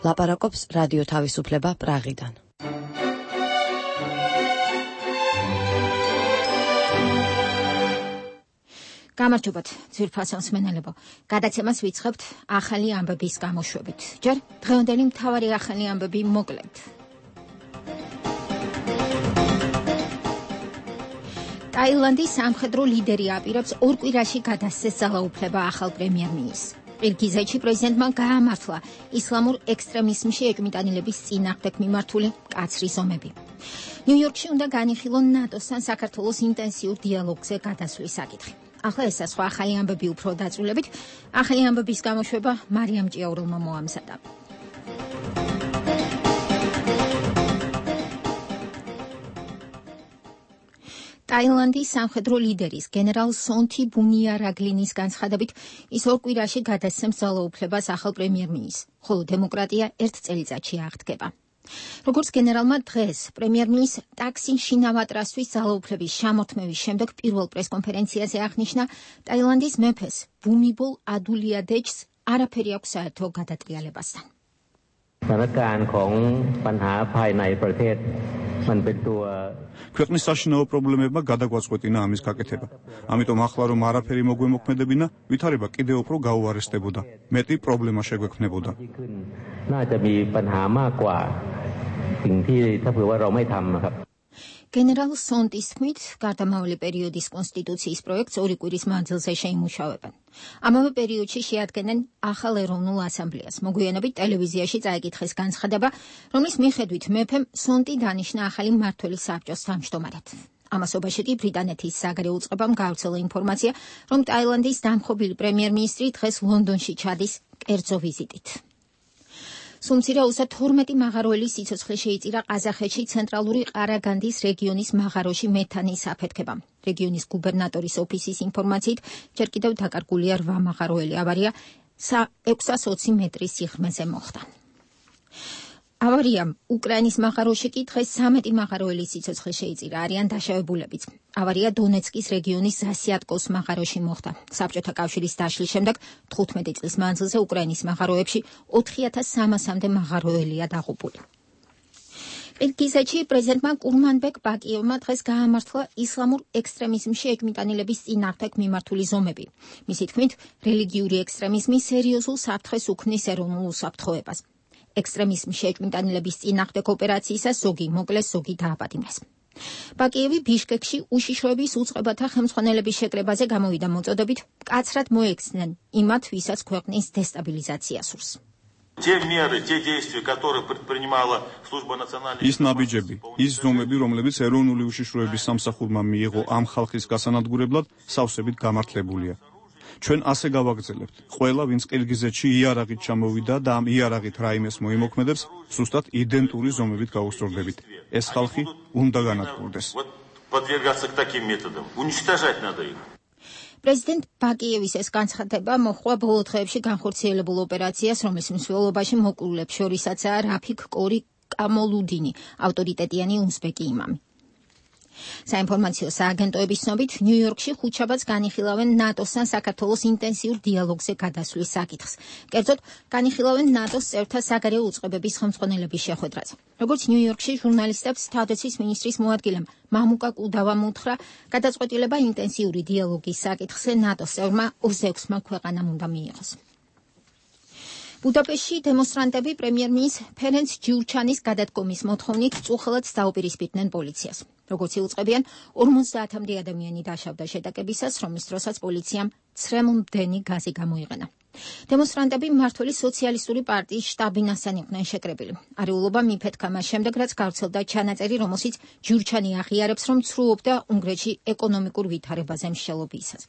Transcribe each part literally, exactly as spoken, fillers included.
ლაპარაკობს რადიო თავისუფლება პრაღიდან. გამარჯობათ, ძვირფასო მსმენელებო. გადაცემას ვიწყებთ ახალი ამბების გამოშვებით. ჯერ დღევანდელი მთავარი ახალი ამბები მოკლედ. ტაილანდის სამხედრო ლიდერი აპირებს ორ კვირაში გადასცეს ძალაუფლება ახალ პრემიერ-მინისტრს. ყირგიზეთში პრეზიდენტმა გაამართლა ისლამურ ექსტრემიზმში ეჭვმიტანილების წინააღმდეგ მიმართული მკაცრი ზომები. ნიუ-იორკში უნდა განიხილონ ნატოსთან საქართველოს ინტენსიურ დიალოგზე გადასვლის საკითხი. ახლა ესა სხვა ახალი ამბები უფრო დაწვრილებით. ახალი ამბების გამოშვება მარიამ ჭიაურელმა მოამზადა. ტაილანდის სამხედრო ლიდერის გენერალ სონთი ბუნიარაგლინის განცხადებით ის ორ კვირაში გადასცემს ძალაუფლებას ახალ პრემიერ-მინისტრს, ხოლო დემოკრატია ერთ წელიწადში აღდგება. როგორც გენერალმა დღეს პრემიერ-მინისტრ ტაქსინ შინავატრასთვის ძალაუფლების შემოქმედის შემდეგ პირველ პრესკონფერენციაზე აღნიშნა, ტაილანდის მეფეს ბუმიბოლ ადულიადეჯს არაფერი აქვს საერთო გადატრიალებასთან. ქვეყნის საშინაო პრობლემებმა გადაგვაწყვეტინა ამის გაკეთება. ამიტომ ახლა რომ არაფერი მოგვემოქმედებინა, ვითარება კიდევ უფრო გაუარესდებოდა. მეტი პრობლემა შეგვექმნებოდა. გენერალ სონტის თქმით, გარდამავალი პერიოდის კონსტიტუციის პროექტს ორი კვირის მანძილზე შეიმუშავებენ. ამავე პერიოდში შეადგენენ ახალ ეროვნულ ასამბლეას. მოგვიანებით ტელევიზიაში წაიკითხეს განცხადება, რომლის მიხედვით მეფემ სონტი დანიშნა ახალი მმართველი საბჭოს თავმჯდომარედ. ამასობაში კი ბრიტანეთის საგარეო უწყებამ გავრცელა ინფორმაცია, რომ ტაილანდის დამხობილი პრემიერ-მინისტრი დღეს ლონდონში ჩადის კერძო ვიზიტით. სუმცირაუსა თორმეტი მაღაროელის სიცოცხლე შეიწირა ყაზახეთში ცენტრალური ყარაგანდის რეგიონის მაღაროში მეთანის აფეთქებამ. რეგიონის გუბერნატორის ოფისის ინფორმაციით, ჯერ კიდევ დაკარგულია რვა მაღაროელი. ავარია ექვსას ოცი მეტრის სიღრმეზე მოხდა. ავარიამ უკრაინის მაღაროში კი დღეს სამეტი მაღაროელის სიცოცხლე შეიწირა, არიან დაშავებულებიც. ავარია დონეცკის რეგიონის ზასიატკოს მაღაროში მოხდა. საბჭოთა კავშირის დაშლის შემდეგ თხუთმეტი წლის მანძილზე უკრაინის მაღაროებში ოთხი ათას სამასამდე მაღაროელია დაღუპული. ყირგიზეთში პრეზიდენტმა კურმანბეკ ბაკიევმა დღეს გაამართლა ისლამურ ექსტრემიზმში ეჭვმიტანილების წინააღმდეგ მიმართული ზომები. მისი თქმით, რელიგიური ექსტრემიზმი სერიოზულ საფრთხეს უქმნის ეროვნულ უსაფრთხოებას. ექსტრემიზმში ეჭვმიტანილების წინააღმდეგ ოპერაციისას ზოგი მოკლეს, ზოგი დააპატიმრეს. ბაკიევი ბიშკეკში უშიშროების უწყებათა ხელმძღვანელების შეკრებაზე გამოვიდა მოწოდებით მკაცრად მოექცნენ იმათ, ვისაც ქვეყნის დესტაბილიზაცია სურს. ის ნაბიჯები, ის ზომები, რომლებიც ეროვნული უშიშროების სამსახურმა მიიღო ამ ხალხის გასანადგურებლად, სავსებით გამართლებულია. ჩვენ ასე გავაგრძელებთ. ყველა, ვინც ყირგიზეთში იარაღით ჩამოვიდა და ამ იარაღით რაიმეს მოიმოქმედებს, სუსტად იდენტური ზომებით გაუსწორდებით. ეს ხალხი უნდა განადგურდეს. პრეზიდენტ ბაკიევის ეს განცხადება მოჰყვა ბოლო დღეებში განხორციელებულ ოპერაციას, რომლის მსვლელობაში მოკლულებს შორისაცაა რაფიქ კორი კამოლუდინი, ავტორიტეტიანი უზბეკი იმამი. საინფორმაციო სააგენტოების ცნობით, ნიუ-იორკში ხუთშაბათს განიხილავენ ნატოსთან საქართველოს ინტენსიურ დიალოგზე გადასვლის საკითხს. კერძოდ, განიხილავენ ნატოს წევრთა საგარეო უწყებების ხელმძღვანელების შეხვედრაზე. როგორც ნიუ-იორკში ჟურნალისტებს თავდაცვის მინისტრის მოადგილემ მამუკა კუდავამ უთხრა, გადაწყვეტილება ინტენსიური დიალოგის საკითხზე ნატოს წევრმა ოცდაექვსმა ქვეყანამ უნდა მიიღოს. ბუდაპეშტში დემონსტრანტები პრემიერ-მინისტრ ფერენც ჯიურჩანის გადადგომის მოთხოვნით წუხელად დაუპირისპირდნენ პოლიციას. როგორც იუწყებიან, ორმოცდაათამდე ადამიანი დაშავდა შეტაკებისას, რომლის დროსაც პოლიციამ ცრემლმდენი გაზი გამოიყენა. დემონსტრანტები მმართველი სოციალისტური პარტიის შტაბინასთან იყვნენ შეკრებილი. არეულობა მიფეთქა მას შემდეგ, რაც გავრცელდა ჩანაწერი, რომელშიც ჯიურჩანი აღიარებს, რომ ცრუობდა უნგრეთში ეკონომიკურ ვითარებაზე მსჯელობისას.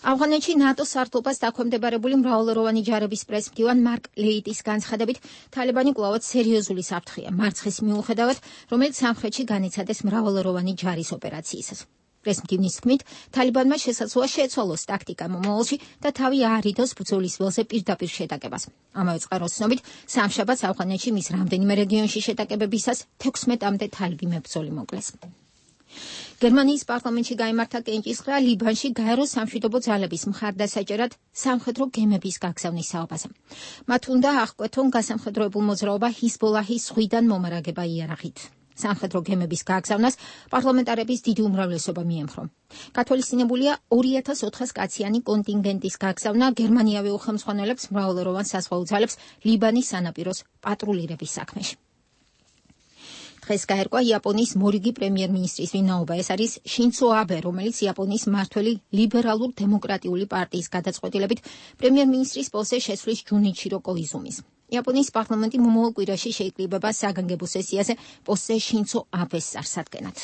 ავღანეთში ნატოს სართულობას დაქვემდებარებული მრავალეროვანი ჯარების პრესმდივან მარკ ლეიტის განცხადებით, თალიბანი კვლავად სერიოზული საფრთხეა მარცხის მიუხედავად, რომელიც სამხრეთში განიცადეს მრავალეროვანი ჯარის ოპერაციისას. პრესმდივნის თქმით, თალიბანმა შესაძლოა შეეცვალოს ტაქტიკა მომავალში და თავი აარიდოს ბრძოლის ველზე პირდაპირ შეტაკებას. ამავე წყაროს ცნობით, სამშაბათს ავღანეთში მის რამდენიმე რეგიონში შეტაკებებისას თექვსმეტამდე თალიბი მებრძოლი მოკლეს. გერმანიის პარლამენტში გაიმართა კენჭისყრა ლიბანში გაერო სამშვიდობო ძალების მხარდასაჭერად სამხედრო გემების გაგზავნის საუბარზე. მათ უნდა აღკვეთონ გასამხედროებულ მოძრაობა ჰიზბოლაჰის ზღვიდან მომარაგება იარაღით. სამხედრო გემების გაგზავნას პარლამენტარების დიდი უმრავლესობა მიემხრო. გათვალისწინებულია ორი ათას ოთხას კაციანი კონტინგენტის გაგზავნა გერმანიავე უხელმძღვანელებს მრავალეროვან საზღვაო ძალებს ლიბანის სანაპიროს პატრულირების საქმეში. დღეს გაერკვა იაპონიის მორიგი პრემიერ-მინისტრის ვინაობა. ეს არის შინცო აბე, რომელიც იაპონიის მმართველი ლიბერალურ დემოკრატიული პარტიის გადაწყვეტილებით პრემიერ-მინისტრის პოსტზე შესვლის ჯუნიჩირო კოიზუმის. იაპონიის პარლამენტი მომავალ კვირაში შეიკრიბება საგანგებო სესიაზე პოსტზე შინცო აბეს წარსადგენად.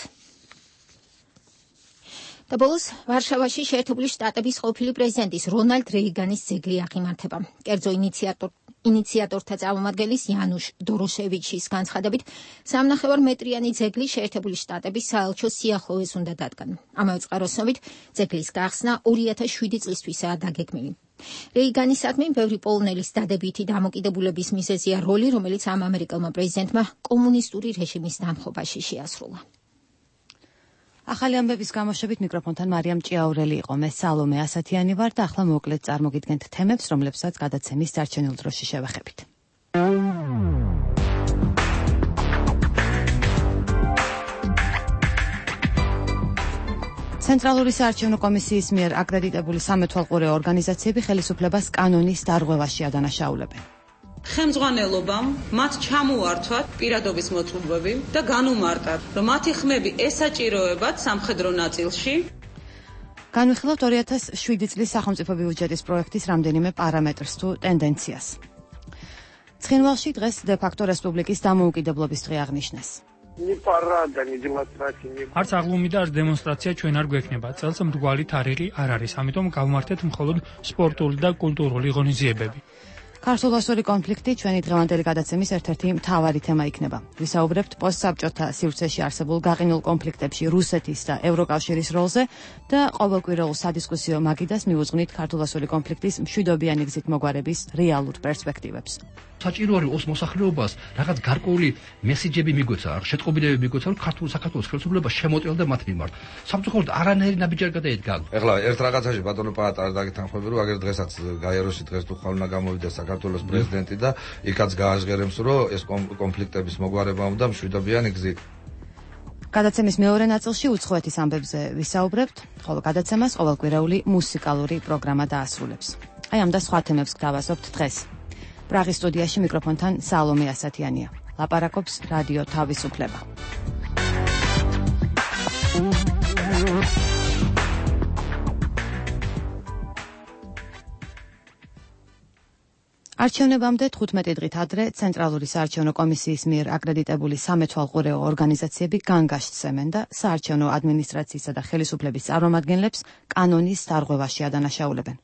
და ბოლოს ვარშავაში შეერთებული შტატების ყოფილი პრეზიდენტის რონალდ რეიგანის ძეგლი აღიმართება. კერძო ინიციატორ ინიციატორთა წარმომადგენლის იანუშ დოროშევიჩის განცხადებით, სამნახევარ მეტრიანი ძეგლი შეერთებული შტატების საელჩო სიახლოვეს უნდა დადგან. ამავე წყაროსნობით, ძეგლის გახსნა ორი ათას შვიდი წლისთვისაა დაგეგმილი. რეიგანისადმი ბევრი პოლონელის დადებითი დამოკიდებულების მიზეზია როლი, რომელიც ამ ამერიკელმა პრეზიდენტმა კომუნისტური რეჟიმის დამხობაში შეასრულა. ახალი ამბების გამოშვებით მიკროფონთან მარიამ ჭიაურელი იყო. მე სალომე ასათიანი ვარ და ახლა მოკლედ წარმოგიდგენთ თემებს, რომლებსაც გადაცემის დარჩენილ დროში შევეხებით. ცენტრალური საარჩევნო კომისიის მიერ აკრედიტებული სამეთვალყურეო ორგანიზაციები ხელისუფლებას კანონის დარღვევაში ადანაშაულებენ. ხელმძღვანელობამ მათ ჩამოართვათ პირადობის მოწყობები და განუმარტათ, რომ მათი ხმები ესაჭიროებათ სამხედრო ნაწილში. განვიხილავთ ორი ათას შვიდი წლის სახელმწიფო ბიუჯეტის პროექტის რამდენიმე პარამეტრს თუ ტენდენციას. ცხინვალში დღეს დე-ფაქტო რესპუბლიკის დამოუკიდებლობის დღე აღნიშნეს. არც აღლუმი და არც დემონსტრაცია ჩვენ არ გვექნება. წელს მრგვალი თარიღი არ არის, ამიტომ გავმართეთ მხოლოდ სპორტული და კულტურული ღონისძიებები. ქართულ-რუსული კონფლიქტი ჩვენი დღევანდელი გადაცემის ერთ-ერთი მთავარი თემა იქნება. ვისაუბრებთ პოსტსაბჭოთა სივრცეში არსებულ გაყინულ კონფლიქტებში რუსეთის და ევროკავშირის როლზე და ყოველკვირეულ სადისკუსიო მაგიდას მივუძღვნით ქართულ-რუსული კონფლიქტის მშვიდობიანი გზით მოგვარების რეალურ პერსპექტივებს. საჭირო არის ოს მოსახლეობას რაღაც გარკვეული მესიჯები მიგვეცა, შეტყობინებები მიგვეცა, რომ ქართულ საქართველოს ხელისუფლება შემოტელდა მათ მიმართ. სამწუხაროდ არანაირი ნაბიჯი არ გადაედგა. ეხლა ერთ რაღაცაში ბატონო პაატა არ დაგეთანხმები, რომ აგერ დღესაც გაეროში დღეს თუ ხალხმა გამოვიდა საქართველოს პრეზიდენტი და იქაც გააჟღერებს, რომ ეს კონფლიქტების მოგვარება უნდა მშვიდობიანი გზით. გადაცემის მეორე ნაწილში უცხოეთის ამბებზე ვისაუბრებთ, ხოლო გადაცემას ყოველკვირეული მუსიკალური პროგრამა დაასრულებს. აი ამ და სხვა თემებს გავასწრებთ დღეს. პრაღის სტუდიაში მიკროფონთან სალომე ასათიანია. ლაპარაკობს რადიო თავისუფლება. არჩევნებამდე თხუთმეტი დღით ადრე ცენტრალური საარჩევნო კომისიის მიერ აკრედიტებული სამეთვალყურეო ორგანიზაციები განგაშტს ემენ და საარჩევნო ადმინისტრაციისა და ხელისუფლების წარმომადგენლებს კანონის დარღვევაში ადანაშაულებენ.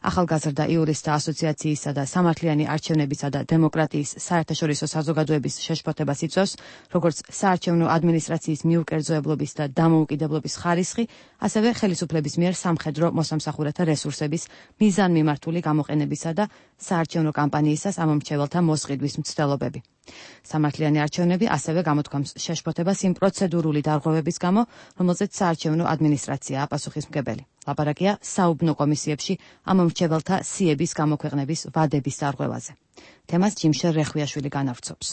ახალგაზრდა იურისტთა ასოციაციისა და სამართლიანი არჩევნებისა და დემოკრატიის საერთაშორისო საზოგადოების შეშფოთებას იწვევს, როგორც საარჩევნო ადმინისტრაციის მიუკერძოებლობის და დამოუკიდებლობის ხარისხი, ასევე ხელისუფლების მიერ სამხედრო მოსამსახურეთა რესურსების მიზანმიმართული გამოყენებისა და საარჩევნო კამპანიისას ამომრჩეველთა მოსყიდვის მცდელობები. სამართლიანი არჩევნები ასევე გამოთქვამს შეშფოთებას იმ პროცედურული დარღვევების გამო, რომელზეც საარჩევნო ადმინისტრაციაა პასუხისმგებელი. ლაპარაკია საუბნო კომისიებში ამომრჩეველთა სიების გამოქვეყნების ვადების დარღვევაზე. თემას ჯიმშერ რეხვიაშვილი განავრცობს.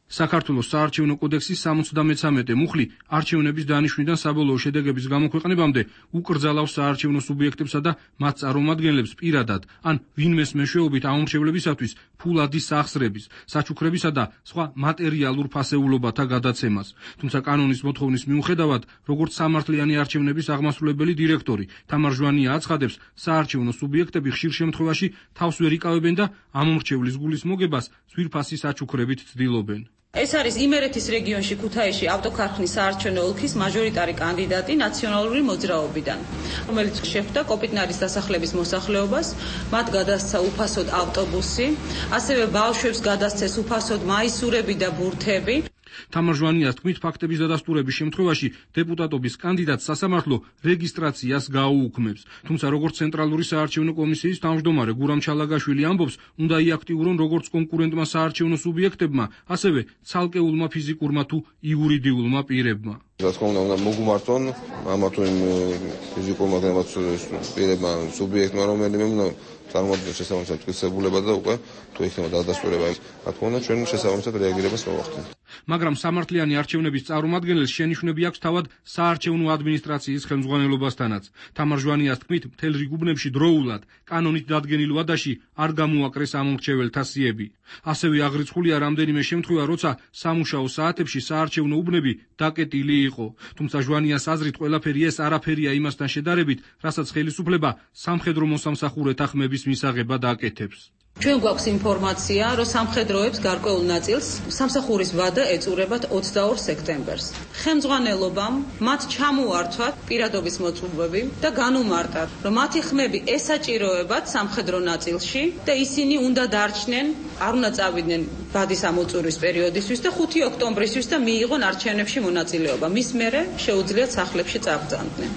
საქართველოს საარჩევნო კოდექსის სამოცდამეცამეტე მუხლი არჩევნების დანიშვნიდან საბოლოო შედეგების გამოქვეყნებამდე უკრძალავს საარჩევნო სუბიექტებსა და მათ წარმომადგენლებს პირადად ან ვინმეს მეშვეობით ამომრჩევლებისათვის ფულადის სახსრების, საჩუქრებისა და სხვა მატერიალურ ფასეულობათა გადაცემას. თუმცა კანონის მოთხოვნის მიუხედავად, როგორც სამართლიანი არჩევნების აღმასრულებელი დირექტორი თამარ ჟვანია აცხადებს, საარჩევნო სუბიექტები ხშირ შემთხვევაში თავს ვერ იკავებენ და ამომრჩევლის გულის მოგებას ძვირფასი საჩუქრებით ცდილობენ. ეს არის იმერეთის რეგიონში ქუთაისში ავტოქარხნის საარჩევნო ოლქის მაჟორიტარი კანდიდატი ნაციონალური მოძრაობიდან, რომელიც შეხვდა კოპიტნარის დასახლების მოსახლეობას, მათ გადასცა უფასოდ ავტობუსი, ასევე ბავშვებს გადასცეს უფასოდ მაისურები და ბურთები. თამარ ჟვანიას თქმით, ფაქტების დადასტურების შემთხვევაში დეპუტატობის კანდიდატს სასამართლო რეგისტრაციას გაუუქმებს. თუმცა როგორც ცენტრალური საარჩევნო კომისიის თავმჯდომარე გურამ ჩალაგაშვილი ამბობს, უნდა იაქტიურონ როგორც კონკურენტმა საარჩევნო სუბიექტებმა, ასევე ცალკეულმა ფიზიკურმა თუ იურიდიულმა პირებმა. რა თქმა უნდა, უნდა მოგუმართონ ამა თუ იმ ფიზიკურმა პირებმა, სუბიექტმა, რომელიმე უნდა წარმოადგენს შესაბამისად თვისებულება და უკვე თუ იქნება დადასტურება, რა თქმა უნდა, ჩვენ შესაბამისად რეაგირებას მოვახდენთ. მაგრამ სამართლიანი არჩევნების წარმომადგენელს შენიშვნები აქვს თავად საარჩევნო ადმინისტრაციის ხელმძღვანელობასთანაც. თამარ ჟვანიას თქმით, მთელ რიგ უბნებში დროულად კანონით დადგენილ ვადაში არ გამოაკრეს ამომრჩეველთა სიები. ასევე აღრიცხულია რამდენიმე შემთხვევა, როცა სამუშაო საათებში საარჩევნო უბნები დაკეტილი იყო. თუმცა ჟვანიას აზრით ყველაფერი ეს არაფერია იმასთან შედარებით, რასაც ხელისუფლება სამხედრო მოსამსახურეთა ხმების მისაღებად აკეთებს. ჩვენ გვაქვს ინფორმაცია, რომ სამხედროებს გარკვეულ ნაწილს სამსახურის ვადა ეწურებათ ოცდაორ სექტემბერს. ხელმძღვანელობამ მათ ჩამოართვათ პირადობის მოწვევები და განუმარტათ, რომ მათი ხმები ესაჭიროებათ სამხედრო ნაწილში და ისინი უნდა დარჩნენ, არ უნდა წავიდნენ ვადის ამოწურვის პერიოდისთვის და ხუთი ოქტომბრისთვის და მიიღონ არჩევნებში მონაწილეობა. მის მერე შეუძლიათ სახლებში წაბრძანდნენ.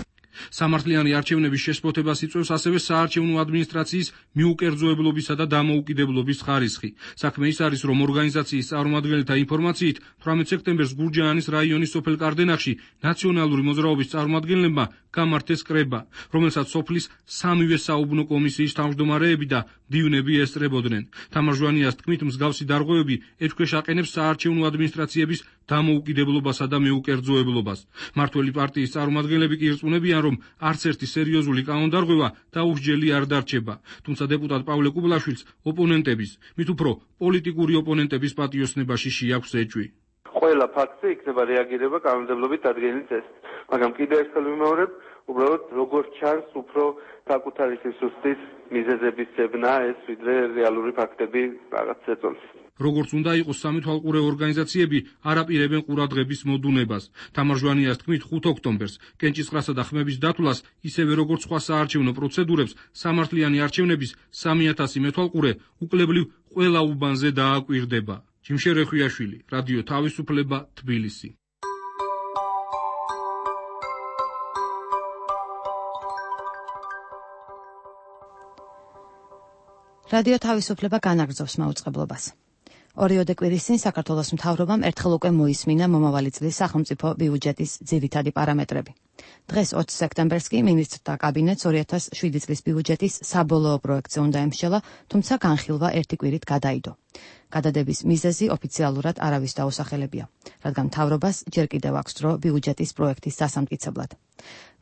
სამართლიანი არჩევნების შესწრებას იწვევს ასევე საარჩევნო ადმინისტრაციის მიუკერძოებლობისა და დამოუკიდებლობის ხარისხი. საქმე ის არის, რომ ორგანიზაციის წარმომადგენელთა ინფორმაციით თვრამეტ სექტემბერს გურჯაანის რაიონის სოფელ კარდენახში ნაციონალური მოძრაობის წარმომადგენლებმა გამართეს კრება, რომელსაც სოფლის სამივე საუბნო კომისიის თავმჯდომარეები და მდივნები ესწრებოდნენ. თამარ ჟვანიას თქმით, მსგავსი დარღვევები ეთქვეშ აყენებს საარჩევნო ადმინისტრაციების დამოუკიდებლობასა და მეუკერძოებლობას. მმართველი პარტიის წარმომადგენლები კი ირწმუნებიან, რომ არც ერთი სერიოზული კანონდარღვევა დაუსჯელი არ დარჩება. თუმცა დეპუტატ პავლე კუბლაშვილს ოპონენტების, მით უფრო პოლიტიკური ოპონენტების პატიოსნებაში შეაქვს ეჭვი. ყველა ფაქტზე იქნება რეაგირება კანონმდებლობით დადგენილი წესით. მაგრამ კიდევ ერთხელ ვიმეორებ, უბრალოდ როგორც ჩანს, უფრო საკუთარი სისუსტის მიზეზების ძებნა ეს, ვიდრე რეალური ფაქტები რაღაც ეწოლის. როგორც უნდა იყოს, სამეთვალყურე ორგანიზაციები არ აპირებენ ყურადღების მოდუნებას. თამარ ჟვანიას თქმით, ხუთი ოქტომბერს კენჭისყრასა და ხმების დათვლას, ისევე როგორც სხვა საარჩევნო პროცედურებს, სამართლიანი არჩევნების სამი ათასი მეთვალყურე უკლებლივ ყველა უბანზე დააკვირდება. ჯიმშე რეხვიაშვილი, რადიო თავისუფლება, თბილისი. რადიო თავისუფლება განაგრძობს მაუწყებლობას. ორიოდე კვირის წინ საქართველოს მთავრობამ ერთხელ უკვე მოისმინა მომავალი წლის სახელმწიფო ბიუჯეტის ძირითადი პარამეტრები. დღეს ოცი სექტემბერს კი მინისტრთა კაბინეტს ორი ათას შვიდი წლის ბიუჯეტის საბოლოო პროექტზე უნდა ემშელა, თუმცა განხილვა ერთი კვირით გადაიდო. გადადების მიზეზი ოფიციალურად არავის დაუსახელებია, რადგან მთავრობას ჯერ კიდევ აქვს დრო ბიუჯეტის პროექტის დასამტკიცებლად.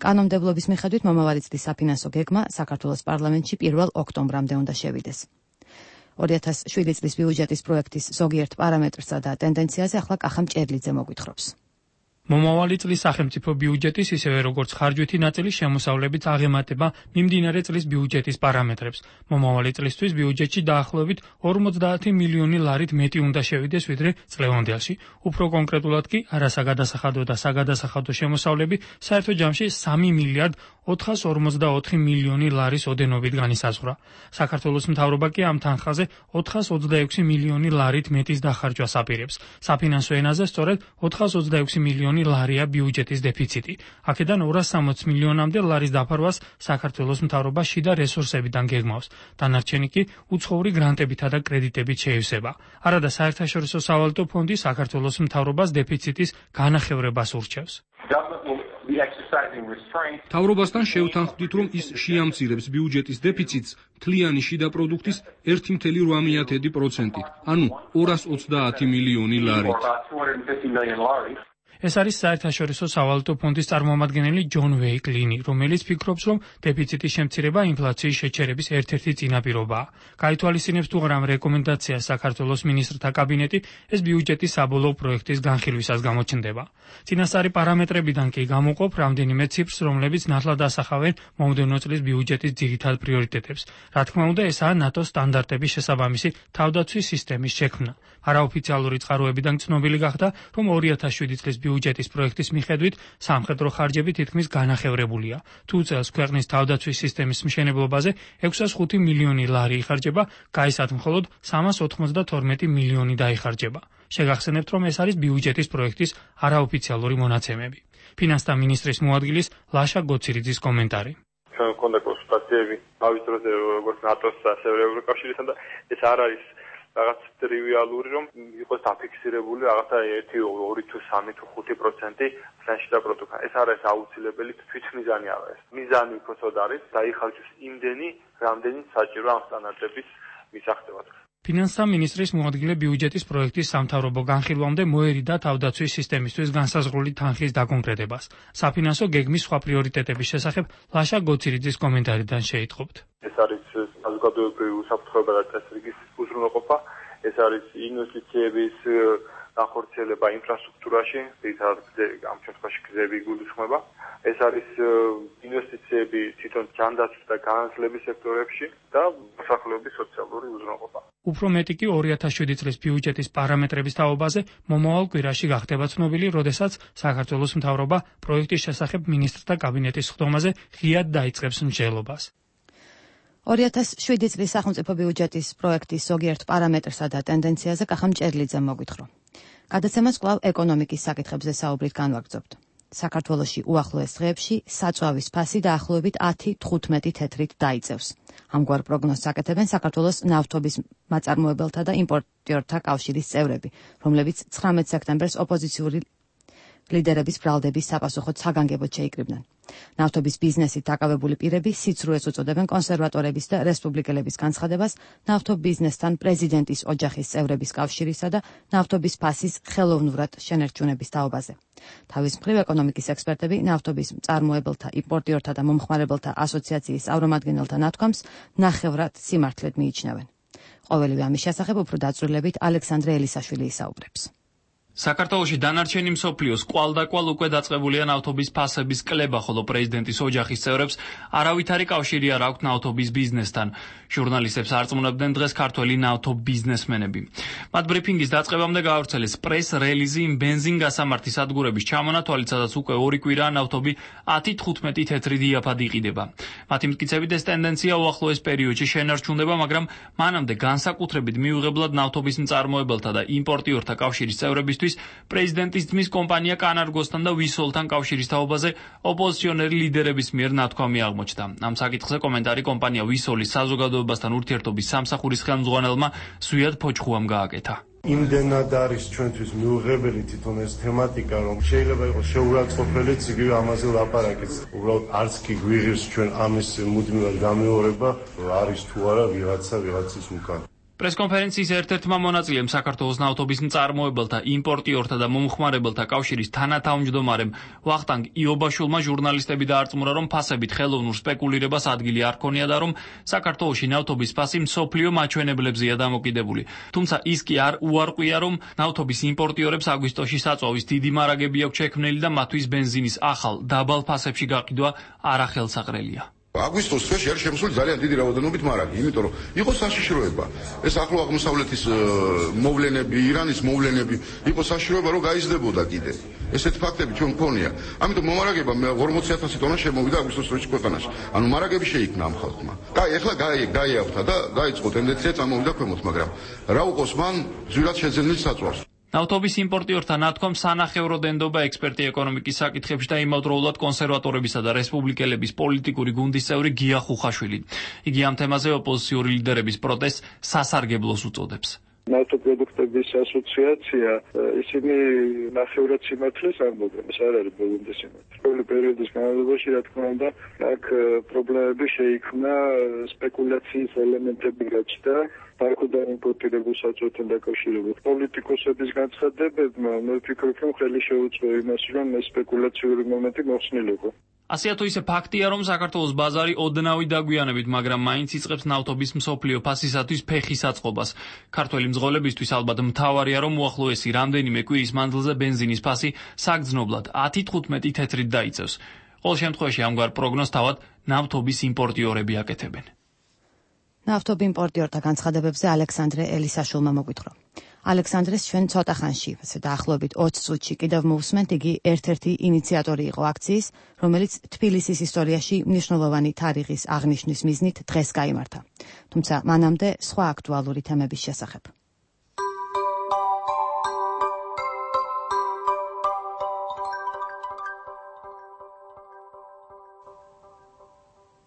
კანონმდებლობის მიხედვით მომავალი წლის საფინანსო გეგმა საქართველოს პარლამენტში პირველ ოქტომბრამდე უნდა შევიდეს. ორი ათას შვიდი წლის ბიუჯეტის პროექტის ზოგიერთ პარამეტრსა და ტენდენციაზე ახლა კახა მჭერლიძე მოგვითხრობს. მომავალი წლის სახელმწიფო ბიუჯეტის, ისევე როგორც ხარჯვითი ნაწილის შემოსავლებით აღემატება მიმდინარე წლის ბიუჯეტის პარამეტრებს. მომავალი წლისთვის ბიუჯეტში დაახლოებით ორმოცდაათი მილიონი ლარით მეტი უნდა შევიდეს, ვიდრე წლევანდელში. უფრო კონკრეტულად კი არასაგადასახადო და საგადასახადო შემოსავლები საერთო ჯამში სამი მილიარდ ოთხას ორმოცდაოთხი მილიონი ლარის ოდენობით განისაზღვრა. საქართველოს მთავრობა კი ამ თანხაზე ოთხას ოცდაექვსი მილიონი ლარით მეტის დახარჯვას აპირებს. საფინანსო ენაზე სწორედ ოთხას ოცდაექვსი მილიონი ლარია ბიუჯეტის დეფიციტი. აქედან ორას სამოცი მილიონამდე ლარის დაფარვას საქართველოს მთავრობა შიდა რესურსებიდან გეგმავს. დანარჩენი კი უცხოური გრანტებითა და კრედიტებით შეივსება. არადა საერთაშორისო სავალუტო ფონდი საქართველოს მთავრობას დეფიციტის განახევრებას ურჩევს. მთავრობასთან შევთანხმდით, რომ ის შეამცირებს ბიუჯეტის დეფიციტს მთლიანი შიდა პროდუქტის ერთი კoma ოთხ პროცენტით, ანუ ორას ოცდაათი მილიონი ლარით. ეს არის საერთაშორისო სავალუტო ფონდის წარმომადგენელი ჯონ ვეიკლინი, რომელიც ფიქრობს, რომ დეფიციტის შემცირება ინფლაციის შეჩერების ერთ-ერთი წინაპირობაა. გაითვალისწინებს თუ არა რეკომენდაციას საქართველოს მინისტრთა კაბინეტი, ეს ბიუჯეტის საბოლოო პროექტის განხილვისას გამოჩნდება. წინასწარი პარამეტრებიდან კი გამოყოფ რამდენიმე ციფრს, რომლებიც ნათლად ასახავენ მომდევნო წლის ბიუჯეტის ძირითად პრიორიტეტებს. რა თქმა უნდა, ესაა ნატოს სტანდარტების შესაბამისი თავდაცვის სისტემის შექმნა. არაოფიციალური წყაროებიდან ცნობილი გახდა, რომ ორი ათას შვიდი წლის ბიუჯეტის პროექტის მიხედვით სამხედრო ხარჯები თითქმის განახევრებულია. თუ წელს ქვეყნის თავდაცვის სისტემის მშენებლობაზე ექვსას ხუთი მილიონი ლარი იხარჯება, გაისად მხოლოდ სამას ოთხმოცდათორმეტი მილიონი დაიხარჯება. შეგახსენებთ, რომ ეს არის ბიუჯეტის პროექტის არაოფიციალური მონაცემები. ფინანსთა მინისტრის მოადგილის ლაშა გოცირიძის კომენტარი. ჩვენ გქონდა კონსულტაციები თავის დროზე როგორც ნატოს და ასევე ევროკავშირისთან და ეს არ არის რაღაც ტრივიალური, რომ იყოს დაფიქსირებული რაღაცა ერთი, ორი თუ სამი თუ ხუთი პროცენტი შიდა პროდუქტი. ეს არის აუცილებელი თვითმიზანი არა ეს. მიზანი უბრალოდ არის დაიხარჯოს იმდენი, რამდენი საჭირო ამ სტანდარტების მისაღწევად. ფინანსთა მინისტრის მოადგილე ბიუჯეტის პროექტის სამთავრობო განხილვამდე მოერიდა თავდაცვის სისტემისთვის განსაზღვრული თანხის დაკონკრეტებას. საფინანსო გეგმის სხვა პრიორიტეტების შესახებ ლაშა გოცირიძის კომენტარიდან შეიტყობთ. ეს არის საზოგადოებრივი უსაფრთხოება და წესრიგის უზრუნველყოფა, ეს არის ინვესტიციების განხორციელება ინფრასტრუქტურაში, ძირითადად ამ შემთხვევაში გზები გულისხმობა. ეს არის ინვესტიციები თვითონ ჯანდაცვის და განათლების სექტორებში და მოსახლეობის სოციალური უზრუნველყოფა. უფრო მეტი კი ორი ათას შვიდი წლის ბიუჯეტის პარამეტრების თაობაზე მომავალ კვირაში გახდება ცნობილი, როდესაც საქართველოს მთავრობა პროექტის შესახებ მინისტრთა კაბინეტის სხდომაზე ღიად დაიწყებს მსჯელობას. ორი ათას შვიდი წლის სახელმწიფო ბიუჯეტის პროექტის ზოგიერთ პარამეტრსა და ტენდენციაზე კახა მჭერლიძემ მოგვითხრა. გადაცემას კვლავ ეკონომიკის საკითხებზე საუბრით განვაგრძობთ. საქართველოში უახლოეს დღეებში საწვავის ფასი დაახლოებით ათი თხუთმეტი თეთრით დაიწევს. ამგვარ პროგნოზს აკეთებენ საქართველოს ნავთობის მაწარმოებელთა და იმპორტიორთა კავშირის წევრები, რომლებიც ცხრამეტ სექტემბერს ოპოზიციური ლიდერების ბრალდების საპასუხოდ საგანგებოდ შეიკრიბნენ. ნავთობის ბიზნესით დაკავებული პირები სიცრუეს უწოდებენ კონსერვატორების და რესპუბლიკელების განცხადებას ნავთობ ბიზნესთან პრეზიდენტის ოჯახის წევრების კავშირისა და ნავთობის ფასის ხელოვნურად შენერჩუნების თაობაზე. თავის მხრივ ეკონომიკის ექსპერტები ნავთობის მწარმოებელთა, იმპორტიორთა და მომხმარებელთა ასოციაციის წარმომადგენელთა ნათქვამს ნახევრად სიმართლედ მიიჩნევენ. ყოველივე ამის შესახებ უფრო დაწვრილებით ალექსანდრე ელისაშვილი ისაუბრებს. საქართველოში დანარჩენი მსოფლიოს კვალდაკვალ უკვე დაწყებულია ნავთობის ფასების კლება, ხოლო პრეზიდენტის ოჯახის წევრებს არავითარი კავშირი არ აქვთ ნავთობის ბიზნესთან. ჟურნალისტებს არწმუნებდნენ დღეს ქართველი ნავთობ ბიზნესმენები. მათ ბრიფინგის დაწყებამდე გაავრცელეს პრეს რელიზი იმ ბენზინ-გასამართი სადგურების ჩამონათვალით, სადაც უკვე ორი კვირაა ნავთობი ათი თხუთმეტი თეთრი დიაფად იყიდება. მათი მტკიცებით ეს ტენდენცია უახლოეს პერიოდში შენარჩუნდება, მაგრამ მანამდე განსაკუთრებით მიუღებლად ნავთობის მწარმოებელთა და იმპორტიორთა კავშირის წევრებისთვის პრეზიდენტის ძმის კომპანია კანარგოსთან და ვისოლთან კავშირის თაობაზე ოპოზიციონერი ლიდერების მიერ ნათქვამი აღმოჩნდა. ამ საკითხზე კომენტარი კომპანია ვისოლის საზოგადოებასთან ურთიერთობის სამსახურის ხელმძღვანელმა ზვიად ფოჩხუამ გააკეთა. იმდენად არის ჩვენთვის მიუღებელი თვითონ ეს თემატიკა, რომ შეიძლება იყოს შეურაცხყოფელიც იგივე ამაზე ლაპარაკიც. უბრალოდ არც კი გვიღებს ჩვენ ამის მუდმივად გამეორება, არის თუ არა ვიღაცა ვიღაცის უკან. პრესკონფერენციის ერთ-ერთმა მონაწილემ საქართველოს ნავთობის მწარმოებელთა, იმპორტიორთა და მომხმარებელთა კავშირის თანათავმჯდომარემ ვახტანგ იობაშვილმა ჟურნალისტები დაარწმუნა, რომ ფასებით ხელოვნურ სპეკულირებას ადგილი არ ქონია და რომ საქართველოში ნავთობის ფასი მსოფლიო მაჩვენებლებზეა დამოკიდებული. თუმცა ის კი არ უარყვია, რომ ნავთობის იმპორტიორებს აგვისტოში საწვავის დიდი მარაგები აქვს შექმნილი და მათთვის ბენზინის ახალ დაბალ ფასებში გაყიდვა არახელსაყრელია. აგვისტოს თვეში არის შემოსული ძალიან დიდი რაოდენობით მარაგი, იმიტომ რომ იყო საშიშროება. ეს ახლო აღმოსავლეთის მოვლენები, ირანის მოვლენები, იყო საშიშროება, რომ გაიზრდებოდა კიდე. ესეთი ფაქტები ჩვენ გქონია. ამიტომ მომარაგება ორმოცი ათასი ტონა შემოვიდა აგვისტოს თვეში ქვეყანაში. ანუ მარაგები შეიქმნა ამ ხალხმა. კაი, ეხლა გაიავთა და დაიწყო ტენდენცია წამოვიდა ქვემოთ, მაგრამ რა უყოს მან ძვირად შეძენილ საწვავს. ნავთობის იმპორტიორთა ნათქვამს სანახევროდ ენდობა ექსპერტი ეკონომიკის საკითხებში და იმავდროულად კონსერვატორებისა და რესპუბლიკელების პოლიტიკური გუნდის წევრი გია ხუხაშვილი. იგი ამ თემაზე ოპოზიციური ლიდერების პროტესტს სასარგებლოს უწოდებს. ნავთობპროდუქტების ასოციაცია ისინი ნახევრად სიმართლეს ამბობენ, ეს არ არის ბოლომდე სიმართლე. ყოველი პერიოდის განმავლობაში, რა თქმა უნდა, აქ პრობლემები შეიქმნა, სპეკულაციის ელემენტები გაჩნდა. ბარკოდან იმპორტირებულ საწვავთან დაკავშირებით პოლიტიკოსების განცხადებებმა მე ვფიქრობ, რომ ხელი შეუწყო იმას, რომ ეს სპეკულაციური მომენტი მოხსნილიყო. ასეა თუ ისე ფაქტია, რომ საქართველოს ბაზარი ოდნავი დაგვიანებით, მაგრამ მაინც იწყებს ნავთობის მსოფლიო ფასისათვის ფეხის აწყობას. ქართველი მძღოლებისთვის ალბათ მთავარია, რომ უახლოესი რამდენიმე კვირის მანძილზე ბენზინის ფასი საგრძნობლად ათი თხუთმეტი თეთრით დაიწევს. ყოველ შემთხვევაში ამგვარ პროგნოზს თავად ნავთობის იმპორტიორები აკეთებენ. ნავთობ იმპორტიორთა განცხადებებზე ალექსანდრე ელისაშვილმა მოგვითხრა. ალექსანდრეს ჩვენ ცოტა ხანში, ასე დაახლოებით ოცი წუთში კიდევ მოვსმენთ, იგი ერთ-ერთი ინიციატორი იყო აქციის, რომელიც თბილისის ისტორიაში მნიშვნელოვანი თარიღის აღნიშვნის მიზნით დღეს გაიმართა. თუმცა მანამდე სხვა აქტუალური თემების შესახებ.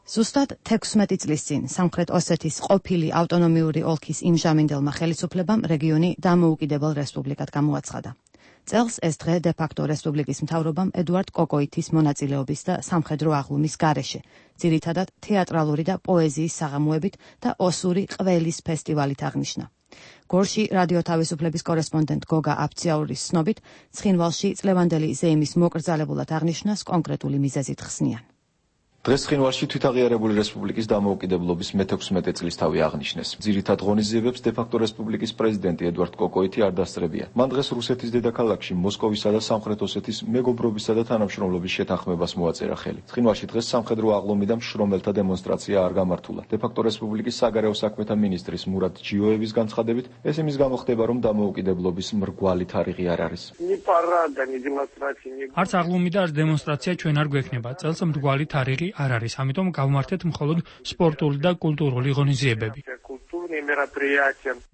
ზუსტად თექვსმეტი წლის წინ სამხრეთ ოსეთის ყოფილი ავტონომიური ოლქის იმჟამინდელმა ხელისუფლებამ რეგიონი დამოუკიდებელ რესპუბლიკად გამოაცხადა. წელს ეს დღე დე-ფაქტო რესპუბლიკის მთავრობამ ედუარდ კოკოითის მონაწილეობის და სამხედრო აღლუმის გარეშე, ძირითადად თეატრალური და პოეზიის საღამოებით და ოსური ყველის ფესტივალით აღნიშნა. გორში რადიო თავისუფლების კორესპონდენტ გოგა აფციაურის ცნობით, ცხინვალში წლევანდელი ზეიმის მოკრძალებულად აღნიშვნას კონკრეტული მიზეზით ხსნიან. დღეს ცხინვალში თვითაღიარებული რესპუბლიკის დამოუკიდებლობის მეთექვსმეტე წლისთავი აღნიშნეს. ძირითად ღონისძიებებს დე-ფაქტო რესპუბლიკის პრეზიდენტი ედუარდ კოკოითი არ დასწრებია. მან დღეს რუსეთის დედაქალაქში მოსკოვისა და სამხრეთ ოსეთის მეგობრობისა და თანამშრომლობის შეთანხმებას მოაწერა ხელი. ცხინვალში დღეს სამხედრო აღლომი და მშრომელთა დემონსტრაცია არ გამართულა. დე-ფაქტო რესპუბლიკის საგარეო საქმეთა მინისტრის მურატ ჯიოევის განცხადებით, ეს იმის გამო ხდება, რომ დამოუკიდებლობის მრგვალი თარიღი არ არის. არც აღლუმი და არც დემონსტრაცია ჩვენ არ გვექნება. წელს მრგვალი თარიღი არ არის, ამიტომ გავმართეთ მხოლოდ სპორტული და კულტურული ღონისძიებები.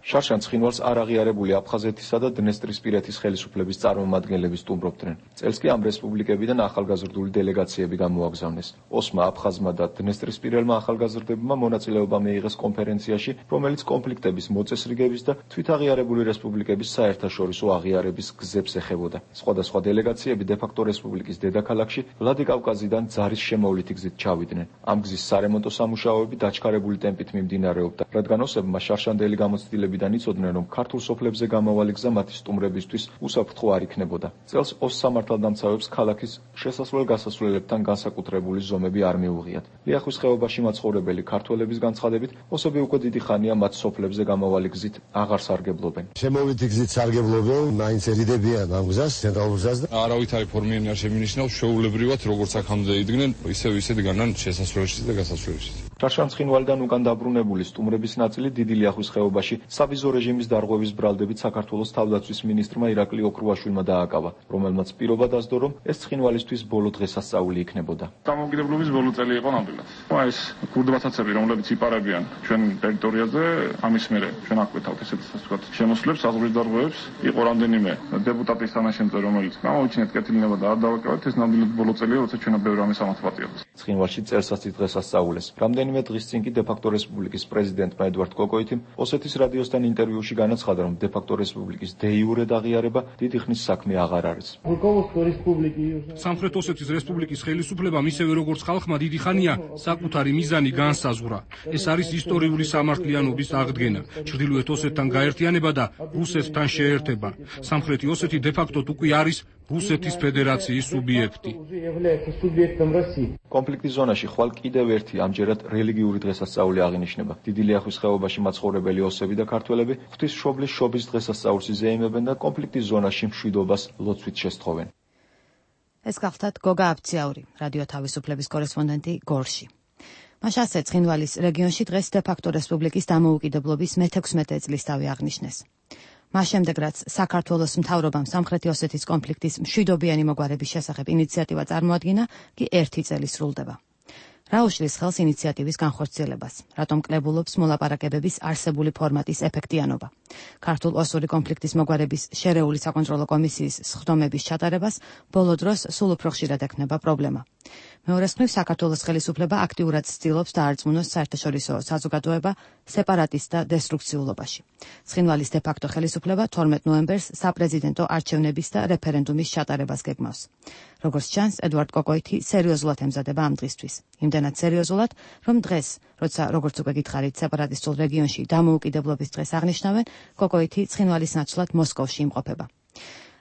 შარშან ცხინვალს არ აღიარებული აფხაზეთისა და დნესტრისპირეთის ხელისუფლების წარმომადგენლები სტუმრობდნენ. წელს კი ამ რესპუბლიკებიდან ახალგაზრდული დელეგაციები გამოაგზავნეს. ოსმა, აფხაზმა და დნესტრისპირელმა ახალგაზრდებმა მონაწილეობა მიიღეს კონფერენციაში, რომელიც კონფლიქტების მოწესრიგების და თვითაღიარებული რესპუბლიკების საერთაშორისო აღიარების გზებს ეხებოდა. სხვადასხვა დელეგაციები დე-ფაქტო რესპუბლიკის დედაქალაქში ვლადიკავკაზიდან ძარის შემოვლითი გზით ჩავიდნენ. ამ გზის სარემონტო სამუშაოები დაჩქარებული ტემპით მიმდინარეობდა, რადგან ოსებმა შარშანდელი გამოცდილებიდან იცოდნენ, რომ ქართულ სოფლებზე გამავალი გზა მათი სტუმრებისთვის უსაფრთხო არ იქნებოდა. წელს ოს სამართალდამცავებს ქალაქის შესასვლელ-გასასვლელებთან განსაკუთრებული ზომები არ მიუღიათ. ლიახვის ხეობაში მაცხოვრებელი ქართველების განცხადებით, ოსები უკვე დიდი ხანია მათ სოფლებზე გამავალი გზით აღარ სარგებლობენ. შემოვლითი გზით სარგებლობენ, მაინც ერიდებიან ამ გზას, ცენტრალურ გზას და არავითარი ფორმიანი არ შემინიშნავს, შეუულებრივად როგორც აქამდე იდგნენ, ისევ ისე დგანან შესასვლელში და გასასვლელში. შარშან ცხინვალიდან უკან დაბრუნებული სტუმრების ნაწილი დიდი ლიახვის ხეობაში სავიზო რეჟიმის დარღვევის ბრალდებით საქართველოს თავდაცვის მინისტრმა ირაკლი ოქრუაშვილმა დააკავა, რომელმაც პირობა დასდო, რომ ეს ცხინვალისთვის ბოლო დღესასწაული იქნებოდა. დამოუკიდებლობის ბოლო წელი იყო ნამდვილად. ეს ქურდბათაცები, რომლებიც იპარებიან ჩვენ ტერიტორიაზე, ამის მერე ჩვენ აკვეთავთ ესეთ ვთქვათ შემოსვლებს, საზღვრის დარღვევებს, იყო რამდენიმე დეპუტატის თანაშემწე, რომელიც გამოიჩინეთ კეთილნება და არ დავაკავეთ, ეს ნამდვილად ბოლო წელია, როცა ჩვენ ბევრი ამის ამათვატიოთ. ცხინვალში წელსაცი დღესასწაულეს. რამდენიმე დღის წინ კი დე-ფაქტო რესპუბლიკის პრეზიდენტმა ედუარდ კოკოითიმ ოსეთის რადიოსთან ინტერვიუში განაცხადა, რომ დე-ფაქტო რესპუბლიკის დე-იურე აღიარება დიდი ხნის საქმე აღარ არის. სამხრეთ ოსეთის რესპუბლიკის ხელისუფლებამ ისევე როგორც ხალხმა დიდი ხანია საკუთარი მიზანი განსაზღვრა. ეს არის ისტორიული სამართლიანობის აღდგენა, ჩრდილოეთ ოსეთთან გაერთიანება და რუსეთთან შეერთება. სამხრეთი ოსეთი დე-ფაქტოდ უკვე არის რუსეთის ფედერაციის სუბიექტი. კონფლიქტის ზონაში ხვალ კიდევ ერთი ამჯერად რელიგიური დღესასწაული აღინიშნება. დიდი ლიახვის ხეობაში მაცხოვრებელი ოსები და ქართველები ღვთისმშობლის შობის დღესასწაულს იზეიმებენ და კონფლიქტის ზონაში მშვიდობას ლოცვით შესთხოვენ. ეს გახლდათ გოგა აფციაური, რადიო თავისუფლების კორესპონდენტი გორში. მას ასე ცხინვალის რეგიონში დღეს დე-ფაქტო რესპუბლიკის დამოუკიდებლობის მეთექვსმეტე წლისთავი აღნიშნეს. მას შემდეგ, რაც საქართველოს მთავრობამ სამხრეთი ოსეთის კონფლიქტის მშვიდობიანი მოგვარების შესახებ ინიციატივა წარმოადგინა, კი ერთი წელი სრულდება. რა უშლის ხელს ინიციატივის განხორციელებას? რატომ კლებულობს მოლაპარაკებების არსებული ფორმატის ეფექტიანობა? ქართულ-ოსური კონფლიქტის მოგვარების შერეული საკონტროლო კომისიის სხდომების ჩატარებას ბოლო დროს სულ უფრო ხშირად ექნება პრობლემა. მეორეს მხრივ, საქართველოს ხელისუფლება აქტიურად ცდილობს დაარწმუნოს საერთაშორისო საზოგადოება სეპარატისტ და დესტრუქციულობაში. ცხინვალის დე-ფაქტო ხელისუფლება თორმეტ ნოემბერს საპრეზიდენტო არჩევნების და რეფერენდუმის ჩატარებას გეგმავს. როგორც ჩანს, ედუარდ კოკოითი სერიოზულად ემზადება ამ დღისთვის. იმდენად სერიოზულად, რომ დღეს, როცა როგორც უკვე გითხარით, სეპარატისტულ რეგიონში დამოუკიდებლობის დღეს აღნიშნავენ, კოკოითი ცხინვალის ნაცვლად მოსკოვში იმყოფება.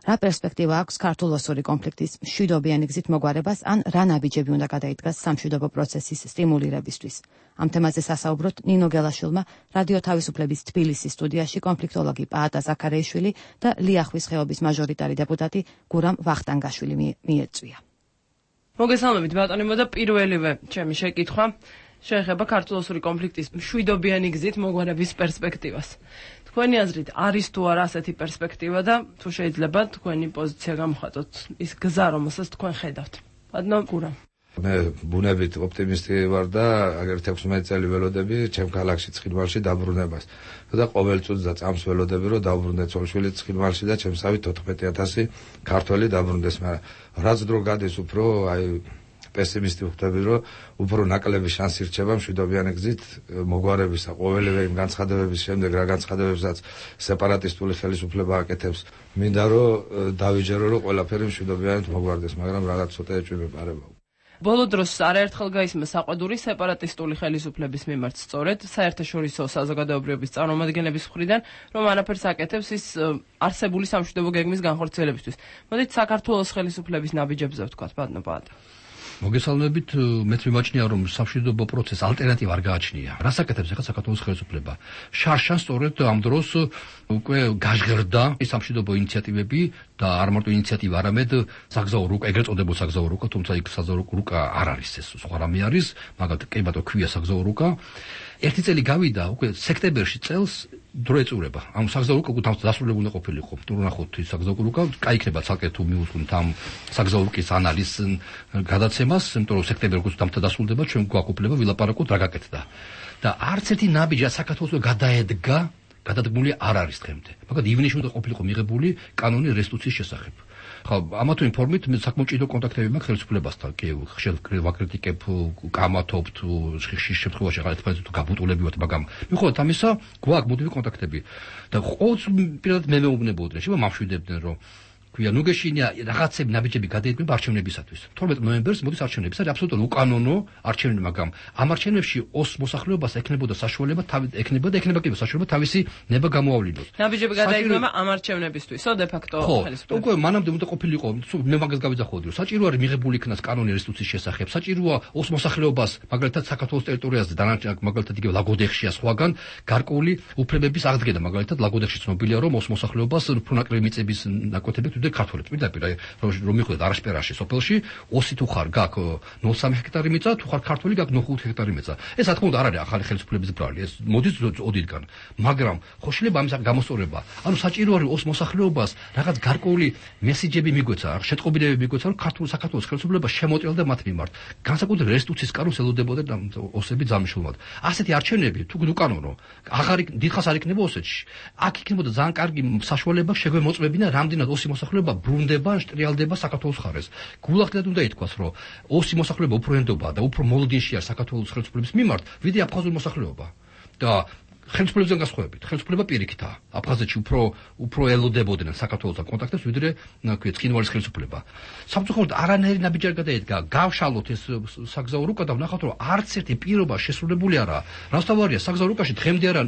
რა პერსპექტივა აქვს ქართულ-ოსური კონფლიქტის მშვიდობიანი გზით მოგვარებას, ან რა ნაბიჯები უნდა გადაიდგას სამშვიდობო პროცესის სტიმულირებისთვის? ამ თემაზე სასაუბროთ ნინო გელაშვილმა რადიო თავისუფლების თბილისის სტუდიაში კონფლიქტოლოგი პაატა ზაქარეიშვილი და ლიახვის ხეობის მაჟორიტარი დეპუტატი გურამ ვახტანგაშვილი მიეწვია. მოგესალმებით ბატონებო და პირველივე ჩემი შეკითხვა შეეხება ქართულ-ოსური კონფლიქტის მშვიდობიანი გზით მოგვარების პერსპექტივას. თქვენი აზრით არის თუ არა ასეთი პერსპექტივა და თუ შეიძლება თქვენი პოზიცია გამოხატოთ ის გზა, რომელსაც თქვენ ხედავთ. ბატონო გურამ. მე ბუნებით ოპტიმისტი ვარ და აგერ თექვსმეტი წელი ველოდები ჩემ ქალაქში ცხინვალში დაბრუნებას. და ყოველ წუთს და წამს ველოდები რომ დაბრუნდეთ ცოლშვილი ცხინვალში და ჩემსავით ოთხმეტი ათასი ქართველი დაბრუნდეს, მაგრამ რაც დრო გადის უფრო აი პესიმისტი ვხდები, რომ უფრო ნაკლები შანსი რჩება მშვიდობიანი გზით მოგვარებისა, ყოველივე იმ განცხადებების შემდეგ, რა განცხადებებსაც სეპარატისტული ხელისუფლება აკეთებს. მინდა რომ დავიჯერო, რომ ყველაფერი მშვიდობიანად მოგვარდეს, მაგრამ რაღაც ცოტა ეჭვმეპარება. ბოლო დროს არაერთხელ გაისმა საყვედური სეპარატისტული ხელისუფლების მიმართ სწორედ საერთაშორისო საზოგადოებრივების წარმომადგენლების მხრიდან, რომ არაფერს აკეთებს ის არსებული სამშვიდობო გეგმის განხორციელებისთვის. მოდით საქართველოს ხელისუფლების ნაბიჯებზე ვთქვათ, ბატონო პაატა. მოგესალმებით, მეც მიმაჩნია, რომ სამშვიდობო პროცესს ალტერნატივა არ გააჩნია. რას აკეთებს ახლა საქართველოს ხელისუფლება? შარშან სწორედ ამ დროს უკვე გაჟღერდა სამშვიდობო ინიციატივები და არ მარტო ინიციატივა, არამედ საგზაო რუკა, ეგრეთ წოდებულ საგზაო რუკა, თუმცა იქ საგზაო რუკა არ არის, ეს სხვა რამე არის, მაგალითად კი ბატონო ქვია საგზაო რუკა. ერთი წელი გავიდა, უკვე სექტემბერში წელს დრო ეწურება. ამ საგზაო რუკა უკვე დასრულებული ყოფილიყო. თუ ნახოთ ის საგზაო რუკა, კაიქნება ცალკე თუ მიუძღვნით ამ საგზაო რუკის ანალიზს გადაცემას, იმიტომ რომ სექტემბერში უკვე დამთა დასრულდება, ჩვენ გვაქვს უფლება ვილაპარაკოთ რა გაკეთდა. და არც ერთი ნაბიჯი საქართველოს გადაედგა, გადადგმული არ არის დღემდე. მაგალითად ივნისში უნდა ყოფილიყო მიღებული კანონი რესტიტუციის შესახებ. ხო, ამა თუ იმ ფორმით მე საკმაოდ ჭიდრო კონტაქტები მაქვს ხელისუფლებასთან. კი, ხშირად ვაკრიტიკებ, კამათობ თუ ხშირ შემთხვევაში ახლა ერთმანეთს თუ გაბუტულებივთ, მაგრამ მიუხედავად ამისა, გვაქვს მუდმივი კონტაქტები. და ყოველთვის პირადად მე მეუბნებოდნენ, შევა მამშვიდებდნენ, რომ ქვია ნუ გეშინია რაღაცები ნაბიჯები გადაიდგება არჩევნებისათვის. თორმეტ ნოემბერს მოდის არჩევნები, არის აბსოლუტურად უკანონო არჩევნები, მაგრამ ამ არჩევნებში ოს მოსახლეობას ექნებოდა საშუალება, ექნებოდა ექნება კი საშუალება თავისი ნება გამოავლინოს. ნაბიჯები გადაიდგება ამ არჩევნებისთვისო დე ფაქტო ხელისუფლება. უკვე მანამდე უნდა ყოფილიყო, მე მაგას გავიძახოდი, რომ საჭირო არის მიღებული იქნას კანონი რესტიტუციის შესახებ, საჭიროა ოს მოსახლეობას, მაგალითად საქართველოს ტერიტორიაზე დანარჩენ მაგალითად იგივე ლაგოდეხშია სხვაგან გარკვეული უფლებების აღდგენა, მაგალითად ლაგოდეხში ცნობილია, რომ ოს მოსახლეობას უფრო ნაკლები მიწების ნაკვეთები ქართველებს პირდაპირ რომ მიხვდეთ არასპერაში სოფელში ოსი თუ ხარ გაქვს ნული კომა სამი ჰექტარი მიწა, თუ ხარ ქართველი გაქვს ნული კომა ხუთი ჰექტარი მიწა. ეს რა თქმა უნდა არ არის ახალი ხელისუფლების ბრალი, ეს მოდის ოდითგან. მაგრამ ხო შეიძლება ამის გამოსწორება. ანუ საჭირო არის ოს მოსახლეობას რაღაც გარკვეული მესიჯები მიგვეცა, შეტყობინებები მიგვეცა, რომ ქართულ საქართველოს ხელისუფლება შემოწელდა მათ მიმართ. განსაკუთრებით რესტიტუციის კანონს ელოდებოდნენ ოსები ძალმშრომლად. ასეთი არჩევნები თუ უკანონო, აღარ დიდხანს არ იქნება ოსეთში. აქ იქნებოდა ძალიან კარგი საშუალება შეგვემოწმებინა რამდენად ოსი მოსახლეობა ბრუნდება, შტრიალდება საქართველოს ხარეს. გულახდეთ უნდა ითქვას, რომ ოსი მოსახლეობა უფრო ენდობა და უფრო მოლოდინში არის საქართველოს ხელისუფლების მიმართ, ვიდრე აფხაზური მოსახლეობა. და ხელისუფლებიდან გასხოვებით, ხელისუფლება პირიქითაა. აფხაზეთში უფრო უფრო ელოდებოდნენ საქართველოს კონტაქტებს, ვიდრე ნაკვეთ ცხინვალის ხელისუფლება. სამწუხაროდ არანაირი ნაბიჯი არ გადაედგა. გავშალოთ ეს საგზაო რუკა და ვნახოთ, რომ არც ერთი პირობა შესრულებული არა. რასთავარია, საგზაო რუკაში დღემდე არა,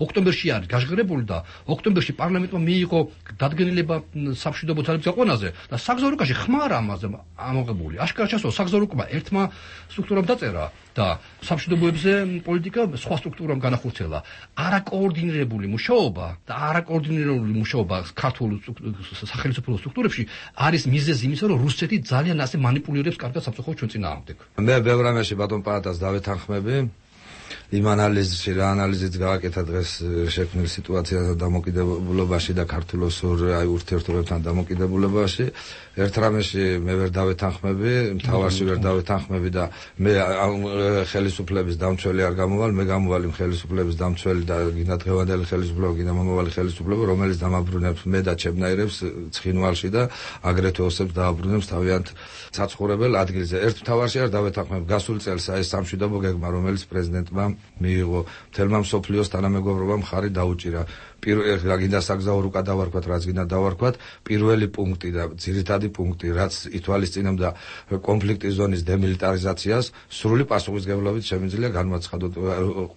ოქტომბერში არის გაჟღერებული და ოქტომბერში პარლამენტმა მიიღო დადგენილება სამშვიდობო ძალების გაყვანაზე და საგზაო რუკაში ხმარ ამაზე ამოღებული. აშკარად ჩასულა საგზაო რუკა ერთმა სტრუქტურამ დაწერა და სამშვიდობოებზე პოლიტიკა სხვა სტრუქტურამ განახორციელა. არაკოორდინირებული მუშაობა და არაკოორდინირებული მუშაობა ქართულ სახელმწიფო სტრუქტურებში არის მიზეზი იმისა, რომ რუსეთი ძალიან ასე манипуლირებს კარგად სამწუხაროდ ჩვენ წინააღმდეგ. მე ბევრ რამეში ბატონ პაატას დავეთანხმები. იმ ანალიზში რა ანალიზიც გააკეთა დღეს შექმნილ სიტუაციასა დამოკიდებულობაში და ქართულოს აი ურთიერთობებთან დამოკიდებულებაში. ერთ რამეში მე ვერ დავეთანხმები, მთავარში ვერ დავეთანხმები და მე ხელისუფლების დამცველი არ გამოვალ, მე გამოვალ იმ ხელისუფლების დამცველი და გინდა დღევანდელი ხელისუფლება, გინდა მომავალი ხელისუფლება, რომელიც დამაბრუნებს მე და ჩემნაირებს ცხინვალში და აგრეთვე ოსებს დააბრუნებს თავიანთ საცხოვრებელ ადგილზე. ერთ მთავარში არ დავეთანხმებ, გასულ წელს აი სამშვიდობო გეგმა, რომელიც პრეზიდენტმა მიიღო, მთელმა მსოფლიოს თანამეგობრობამ ხარი დაუჭირა. პირველ რა გინდა საგზაო რუკა დავარქვათ, რაც გინდა დავარქვათ, პირველი პუნქტი და ძირითადი პუნქტი, რაც ითვალისწინებდა კონფლიქტის ზონის დემილიტარიზაციას, სრული პასუხისმგებლობით შემიძლია განმაცხადოთ.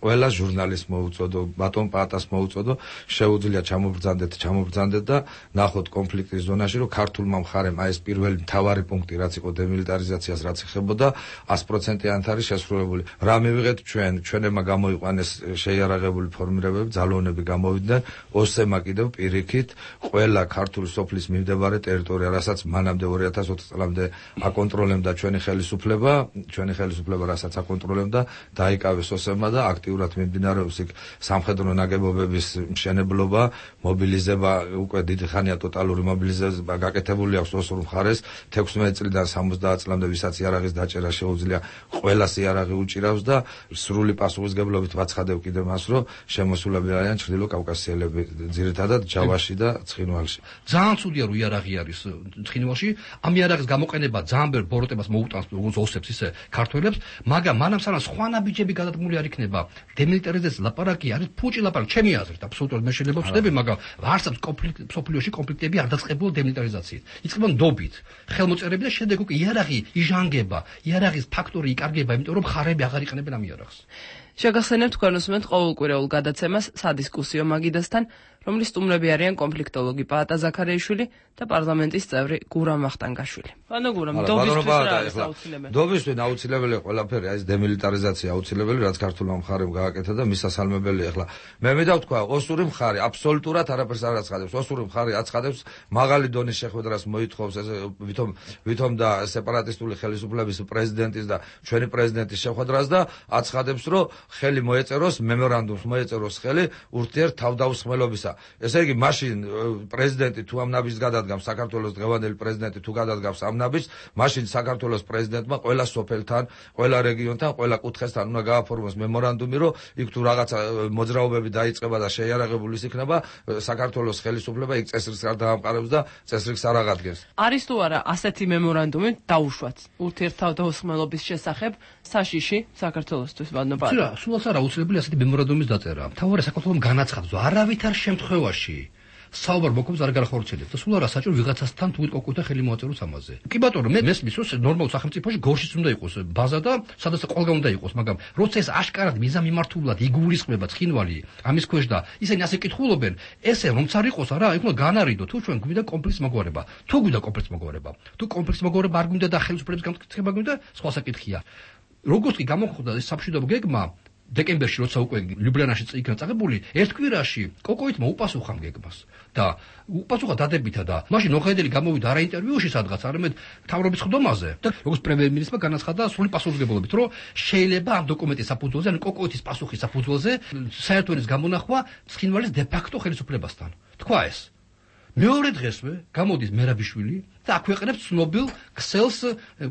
ყველა ჟურნალისტს მოუწოდო, ბატონ პაატას მოუწოდო, შეუძლია ჩამობრძანდეთ, ჩამობრძანდეთ და ნახოთ კონფლიქტის ზონაში, რომ ქართულმა მხარემ აი ეს პირველი მთავარი პუნქტი, რაც იყო დემილიტარიზაციას, რაც ეხებოდა sto პროცენტიანად არის შესრულებული. რა მივიღეთ ჩვენ, ჩვენებმა გამოიყვანეს შეიარაღებული ფორმირებები, ძალოვნები გამოვიდნენ. ოსემა კიდევ პირიქით ყველა ქართული სოფლის მიმდებარე ტერიტორია, რასაც მანამდე ორი ათას ოცი წლამდე აკონტროლებდა ჩვენი ხელისუფლება, ჩვენი ხელისუფლება რასაც აკონტროლებდა, დაიკავეს ოსემა და აქტიურად მიმდინარეობს იქ სამხედრო ნაგებობების მშენებლობა, მობილიზება, უკვე დიდი ხანია ტოტალური მობილიზება გაკეთებული აქვს ოსურ მხარეს, თექვსმეტი წლიდან სამოცდაათ წლამდე ვისაც იარაღის დაჭერა შეუძლია, ყველას იარაღი უჭირავს და სრული პასუხისგებლობით ვაცხადებ კიდე მას, რომ შემოსულები არიან ჩრდილო კავკასიელები, ძირითადად ჯავაში და ცხინვალში. ძალიან ცუდია, რომ იარაღი არის ცხინვალში, ამ იარაღის გამოყენება ძალიან ბევრ ბოროტებას მოუტანს, როგორც ოსებს ისე ქართველებს, მაგრამ მანამ სანამ სხვა ნაბიჯები გადადგმული არ იქნება, დემილიტარიზაციის ლაპარაკი არის ფუჭი ლაპარაკი, ჩემი აზრით, აბსოლუტურად მე შეიძლება ვწდები, მაგრამ არსებობს კონფლიქტი, სოფლიოში კონფლიქტები არ დაწყებულა დემილიტარიზაციით. იწყება ნდობით, ხელმოწერები და შემდეგ უკვე იარაღი იჟანგება, იარაღის ფაქტორი იკარგება, იმიტომ რომ ხარები აღარ იყენებენ ამ იარაღს. შეგახსენებთ თქვენ უსმენთ ყოველკვირეულ გადაცემას სადისკუსიო მაგიდასთან, რომლის სტუმრები არიან კონფლიქტოლოგი პაატა ზაქარიაშვილი და პარლამენტის წევრი გურამ ვახტანგაშვილი. ანუ გურამ, დობისთვის რა არის აუცილებელი? დობისთვის აუცილებელი ყველაფერი, აი ეს დემილიტარიზაცია აუცილებელი, რაც ქართულმა მხარემ გააკეთა და მისასალმებელი ახლა. მე მინდა ვთქვა, ოსური მხარე აბსოლუტურად არაფერს არ აცხადებს. ოსური მხარე აცხადებს მაღალი დონის შეხვედრას მოითხოვს ეს ვითომ ვითომ და სეპარატისტული ხელისუფლების პრეზიდენტის და ჩვენი პრეზიდენტის შეხვედრას და აცხადებს, რომ ხელი მოეწეროს, მემორანდუმს მოეწეროს ხელი ურთიერთ თავდაუსხმელობისა. ესე იგი, მაშინ პრეზიდენტი თუ ამ ნაბიჯს გადადგამს, საქართველოს დღევანდელი პრეზიდენტი თუ გადადგამს ამ ნაბიჯს, მაშინ საქართველოს პრეზიდენტმა ყველა სოფელთან, ყველა რეგიონთან, ყველა კუთხესთან უნდა გააფორმოს მემორანდუმი, რომ იქ თუ რაღაცა მოძრაობები დაიწყება და შეიარაღებული იქნება, საქართველოს ხელისუფლება იქ წესრიგს არ დაამყარებს და წესრიგს არ აღადგენს. არის თუ არა ასეთი მემორანდუმი დაუშვათ ურთიერთ თავდაუსხმელობის შესახებ საშიში საქართველოსთვის ვადნობა? რა, სულაც არა აუცილებელი ასეთი მემორანდუმის დაწერა. მთავარი საქართველოს განაცხადოს, არავითარ შემთხვევაში საუბარ მოქმედს არ გარახორციელებს და სულ არა საჭირო ვიღაცასთან თუ კოკოთა ხელი მოაწეროს ამაზე. კი ბატონო, მე მესმის რომ ნორმალურ სახელმწიფოში გორშიც უნდა იყოს ბაზა და სადაც ყველგან უნდა იყოს, მაგრამ როცა ეს აშკარად მიზამიმართულად იგულისხმება ცხინვალი ამის ქვეშ და ისინი ასე კითხულობენ, ესე რომც არ იყოს არა, იქ უნდა განარიდო თუ ჩვენ გვიდა კონფლიქტს მოგვარება. თუ გვიდა კონფლიქტს მოგვარება. თუ კონფლიქტს მოგვარება არ გვინდა და ხელისუფლების განმტკიცება გვინდა, სხვა საკითხია. როგორც კი გამოხდა ეს სამშვიდობო გეგმა დეკემბერში როცა უკვე ლიუბლიანაში იქნა წაღებული, ერთ კვირაში კოკოიტმა უპასუხა ამ გეგმას და უპასუხა დადებითა და მაშინ ოხედელი გამოვიდა არა ინტერვიუში სადღაც, არამედ მთავრობის ხდომაზე და როგორც პრემიერ-მინისტრმა განაცხადა სრული პასუხისმგებლობით, რომ შეიძლება ამ დოკუმენტის საფუძველზე, ანუ კოკოიტის პასუხის საფუძველზე საერთო ენის გამონახვა ცხინვალის დე-ფაქტო ხელისუფლებასთან. თქვა ეს. მეორე დღესვე გამოდის მერაბიშვილი და აქვეყნებს ცნობილ ქსელს,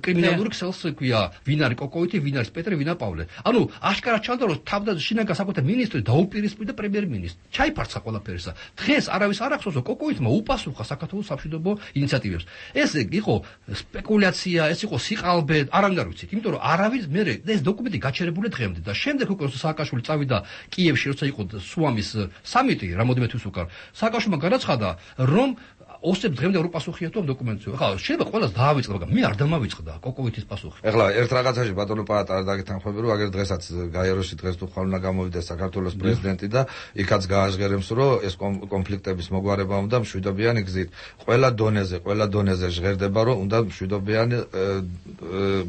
კრიმინალური ქსელს, ქვია, ვინ არის კოკოიტი, ვინ არის პეტრე, ვინ არის პავლე. ანუ აშკარად ჩანდა, რომ თავდა შინაგან საქმეთა მინისტრი დაუპირისპირდა პრემიერ-მინისტრს. ჩაიფარცხა ყველაფერისა. დღეს არავის არ ახსოვს, რომ კოკოიტმა უპასუხა საქართველოს სამშვიდობო ინიციატივებს. ეს იყო სპეკულაცია, ეს იყო სიყალბე, არანაირ არ ვიცით, იმიტომ რომ არავის მე ეს დოკუმენტი გაჩერებული დღემდე და შემდეგ უკვე სააკაშვილი წავიდა კიევში, როცა იყო სუამის სამიტი, რამოდენიმე თვის უკან. სააკაშვილმა განაცხადა, რომ ოსებს დღემდე არ უპასუხია თუ ამ დოკუმენტზე. ახლა შეიძლება ყველას დაავიწყდა, მაგრამ მე არ დამავიწყდა კოკოიტის პასუხი. ახლა ერთ რაღაცაში ბატონო პაატა არ დაგეთანხმები, რომ აგერ დღესაც გაეროში დღეს თუ ხვალ უნდა გამოვიდეს საქართველოს პრეზიდენტი და იქაც გააჟღერებს, რომ ეს კონფლიქტების მოგვარება უნდა მშვიდობიანი გზით. ყველა დონეზე, ყველა დონეზე ჟღერდება, რომ უნდა მშვიდობიანი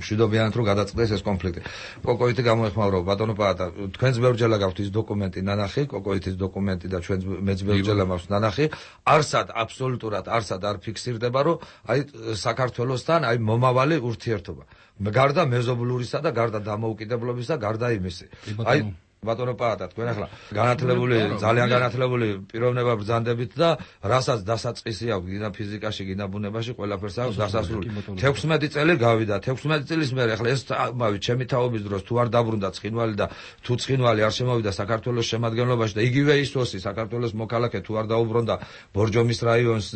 მშვიდობიანად რომ გადაწყდეს ეს კონფლიქტი. კოკოიტი გამოეხმაურა ბატონო პაატა, თქვენს ბევრჯერ გაქვთ ის დოკუმენტი ნანახი, კოკოიტის დოკუმენტი და ჩვენ მეც ბევრჯერ მაქვს ნანახი, არსად აბსოლუტურად არსად არ ფიქსირდება, რომ აი საქართველოსთან აი მომავალი ურთიერთობა. გარდა მეზობლურისა და გარდა დამოუკიდებლობისა, გარდა იმისი. აი ბატონო პაატა, თქვენ ახლა განათლებული, ძალიან განათლებული პიროვნება ბრძანდებით და რასაც დასაწყისი აქვს, გინდა ფიზიკაში, გინდა ბუნებაში, ყველაფერს აქვს დასასრული. თექვსმეტი წელი გავიდა, თექვსმეტი წლის მერე ახლა ეს მავი ჩემი თაობის დროს თუ არ დაბრუნდა ცხინვალი და თუ ცხინვალი არ შემოვიდა საქართველოს შემადგენლობაში და იგივე ისოსი საქართველოს მოქალაქე თუ არ დაუბრუნდა ბორჯომის რაიონს,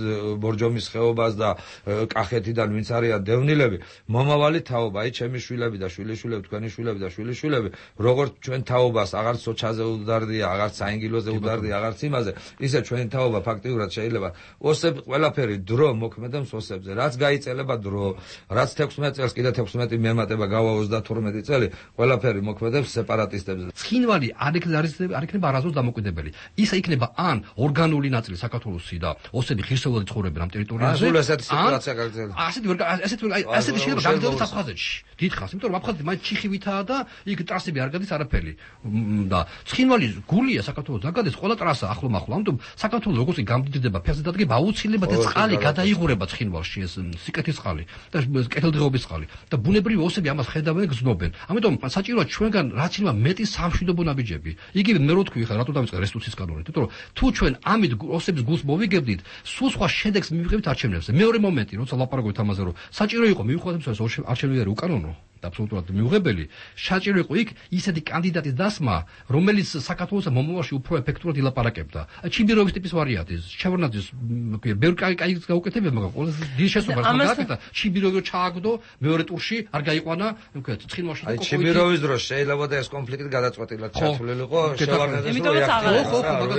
ბორჯომის ხეობას და კახეთიდან ვინც არიან დევნილები, მომავალი თაობა, აი ჩემი შვილები და შვილიშვილები, თქვენი შვილები და შვილიშვილები, როგორც ჩვენ თაობას აღარც სოჩაზე უდარდია, აღარც საინგილოზე უდარდია, აღარც იმაზე, ისე ჩვენი თაობა ფაქტიურად შეიძლება ოსებს ყველაფერი დრო მოქმედებს ოსებზე, რაც გაიწელება დრო, რაც თექვსმეტი წელს კიდე თექვსმეტი მემატება გავა ოცდათორმეტი წელი, ყველაფერი მოქმედებს სეპარატისტებზე. ცხინვალი არ იქნება არასდროს დამოუკიდებელი. ისა იქნება ან ორგანული ნაწილი საქართველოსი და ოსები ღირსეულად ცხოვრობენ ამ ტერიტორიაზე. ან ესეთი სიტუაცია გაგრძელდება. ასეთი ასეთი ასეთი შეიძლება გაგრძელდეს აფხაზეთში. დიდხანს, იმიტომ რომ აფხაზეთი მაინც ჩიხივითაა და იქ ტრასები არ გადის არაფერი. და ცხინვალი გულია საქართველოს დაგადეს ყველა ტრასა ახლო მახლო. ამიტომ საქართველოს როგორც გამდიდრდება ფეხზე დადგება აუცილებლად ეს წყალი გადაიღურება ცხინვალში, ეს სიკეთის წყალი და კეთილდღეობის წყალი. და ბუნებრივი ოსები ამას ხედავენ, გზნობენ. ამიტომ საჭიროა ჩვენგან რაც შეიძლება მეტი სამშვიდობო ნაბიჯები. იგივე მე რო თქვი ხა რატო დავიწყე რესტიტუციის კანონით, იმიტომ რომ თუ ჩვენ ამით ოსების გულს მოვიგებდით, სულ სხვა შედეგს მივიღებთ არჩევნებზე. მეორე მომენტი, როცა ლაპარაკობთ ამაზე, რომ საჭირო იყო მივხვდეთ ეს არჩევნები უკანონო. და აბსოლუტურად მიუღებელი, საჭირო იყო იქ ისეთი კანდიდატის დასმა, რომელიც საქართველოს მომავალში უფრო ეფექტურად ილაპარაკებდა. ჩიმბიროვის ტიპის ვარიანტი, შევარდნაძის ბევრი კაი გაუკეთებია, მაგრამ ყველაზე დიდი შესაძლებლობა გააკეთა ჩიმბიროვი ჩააგდო მეორე ტურში, არ გაიყვანა, უკეთ ცხინვალში და კოკოიძე. აი ჩიმბიროვის დროს შეიძლება და ეს კონფლიქტი გადაწყვეტილად ჩათვლილიყო, შევარდნაძის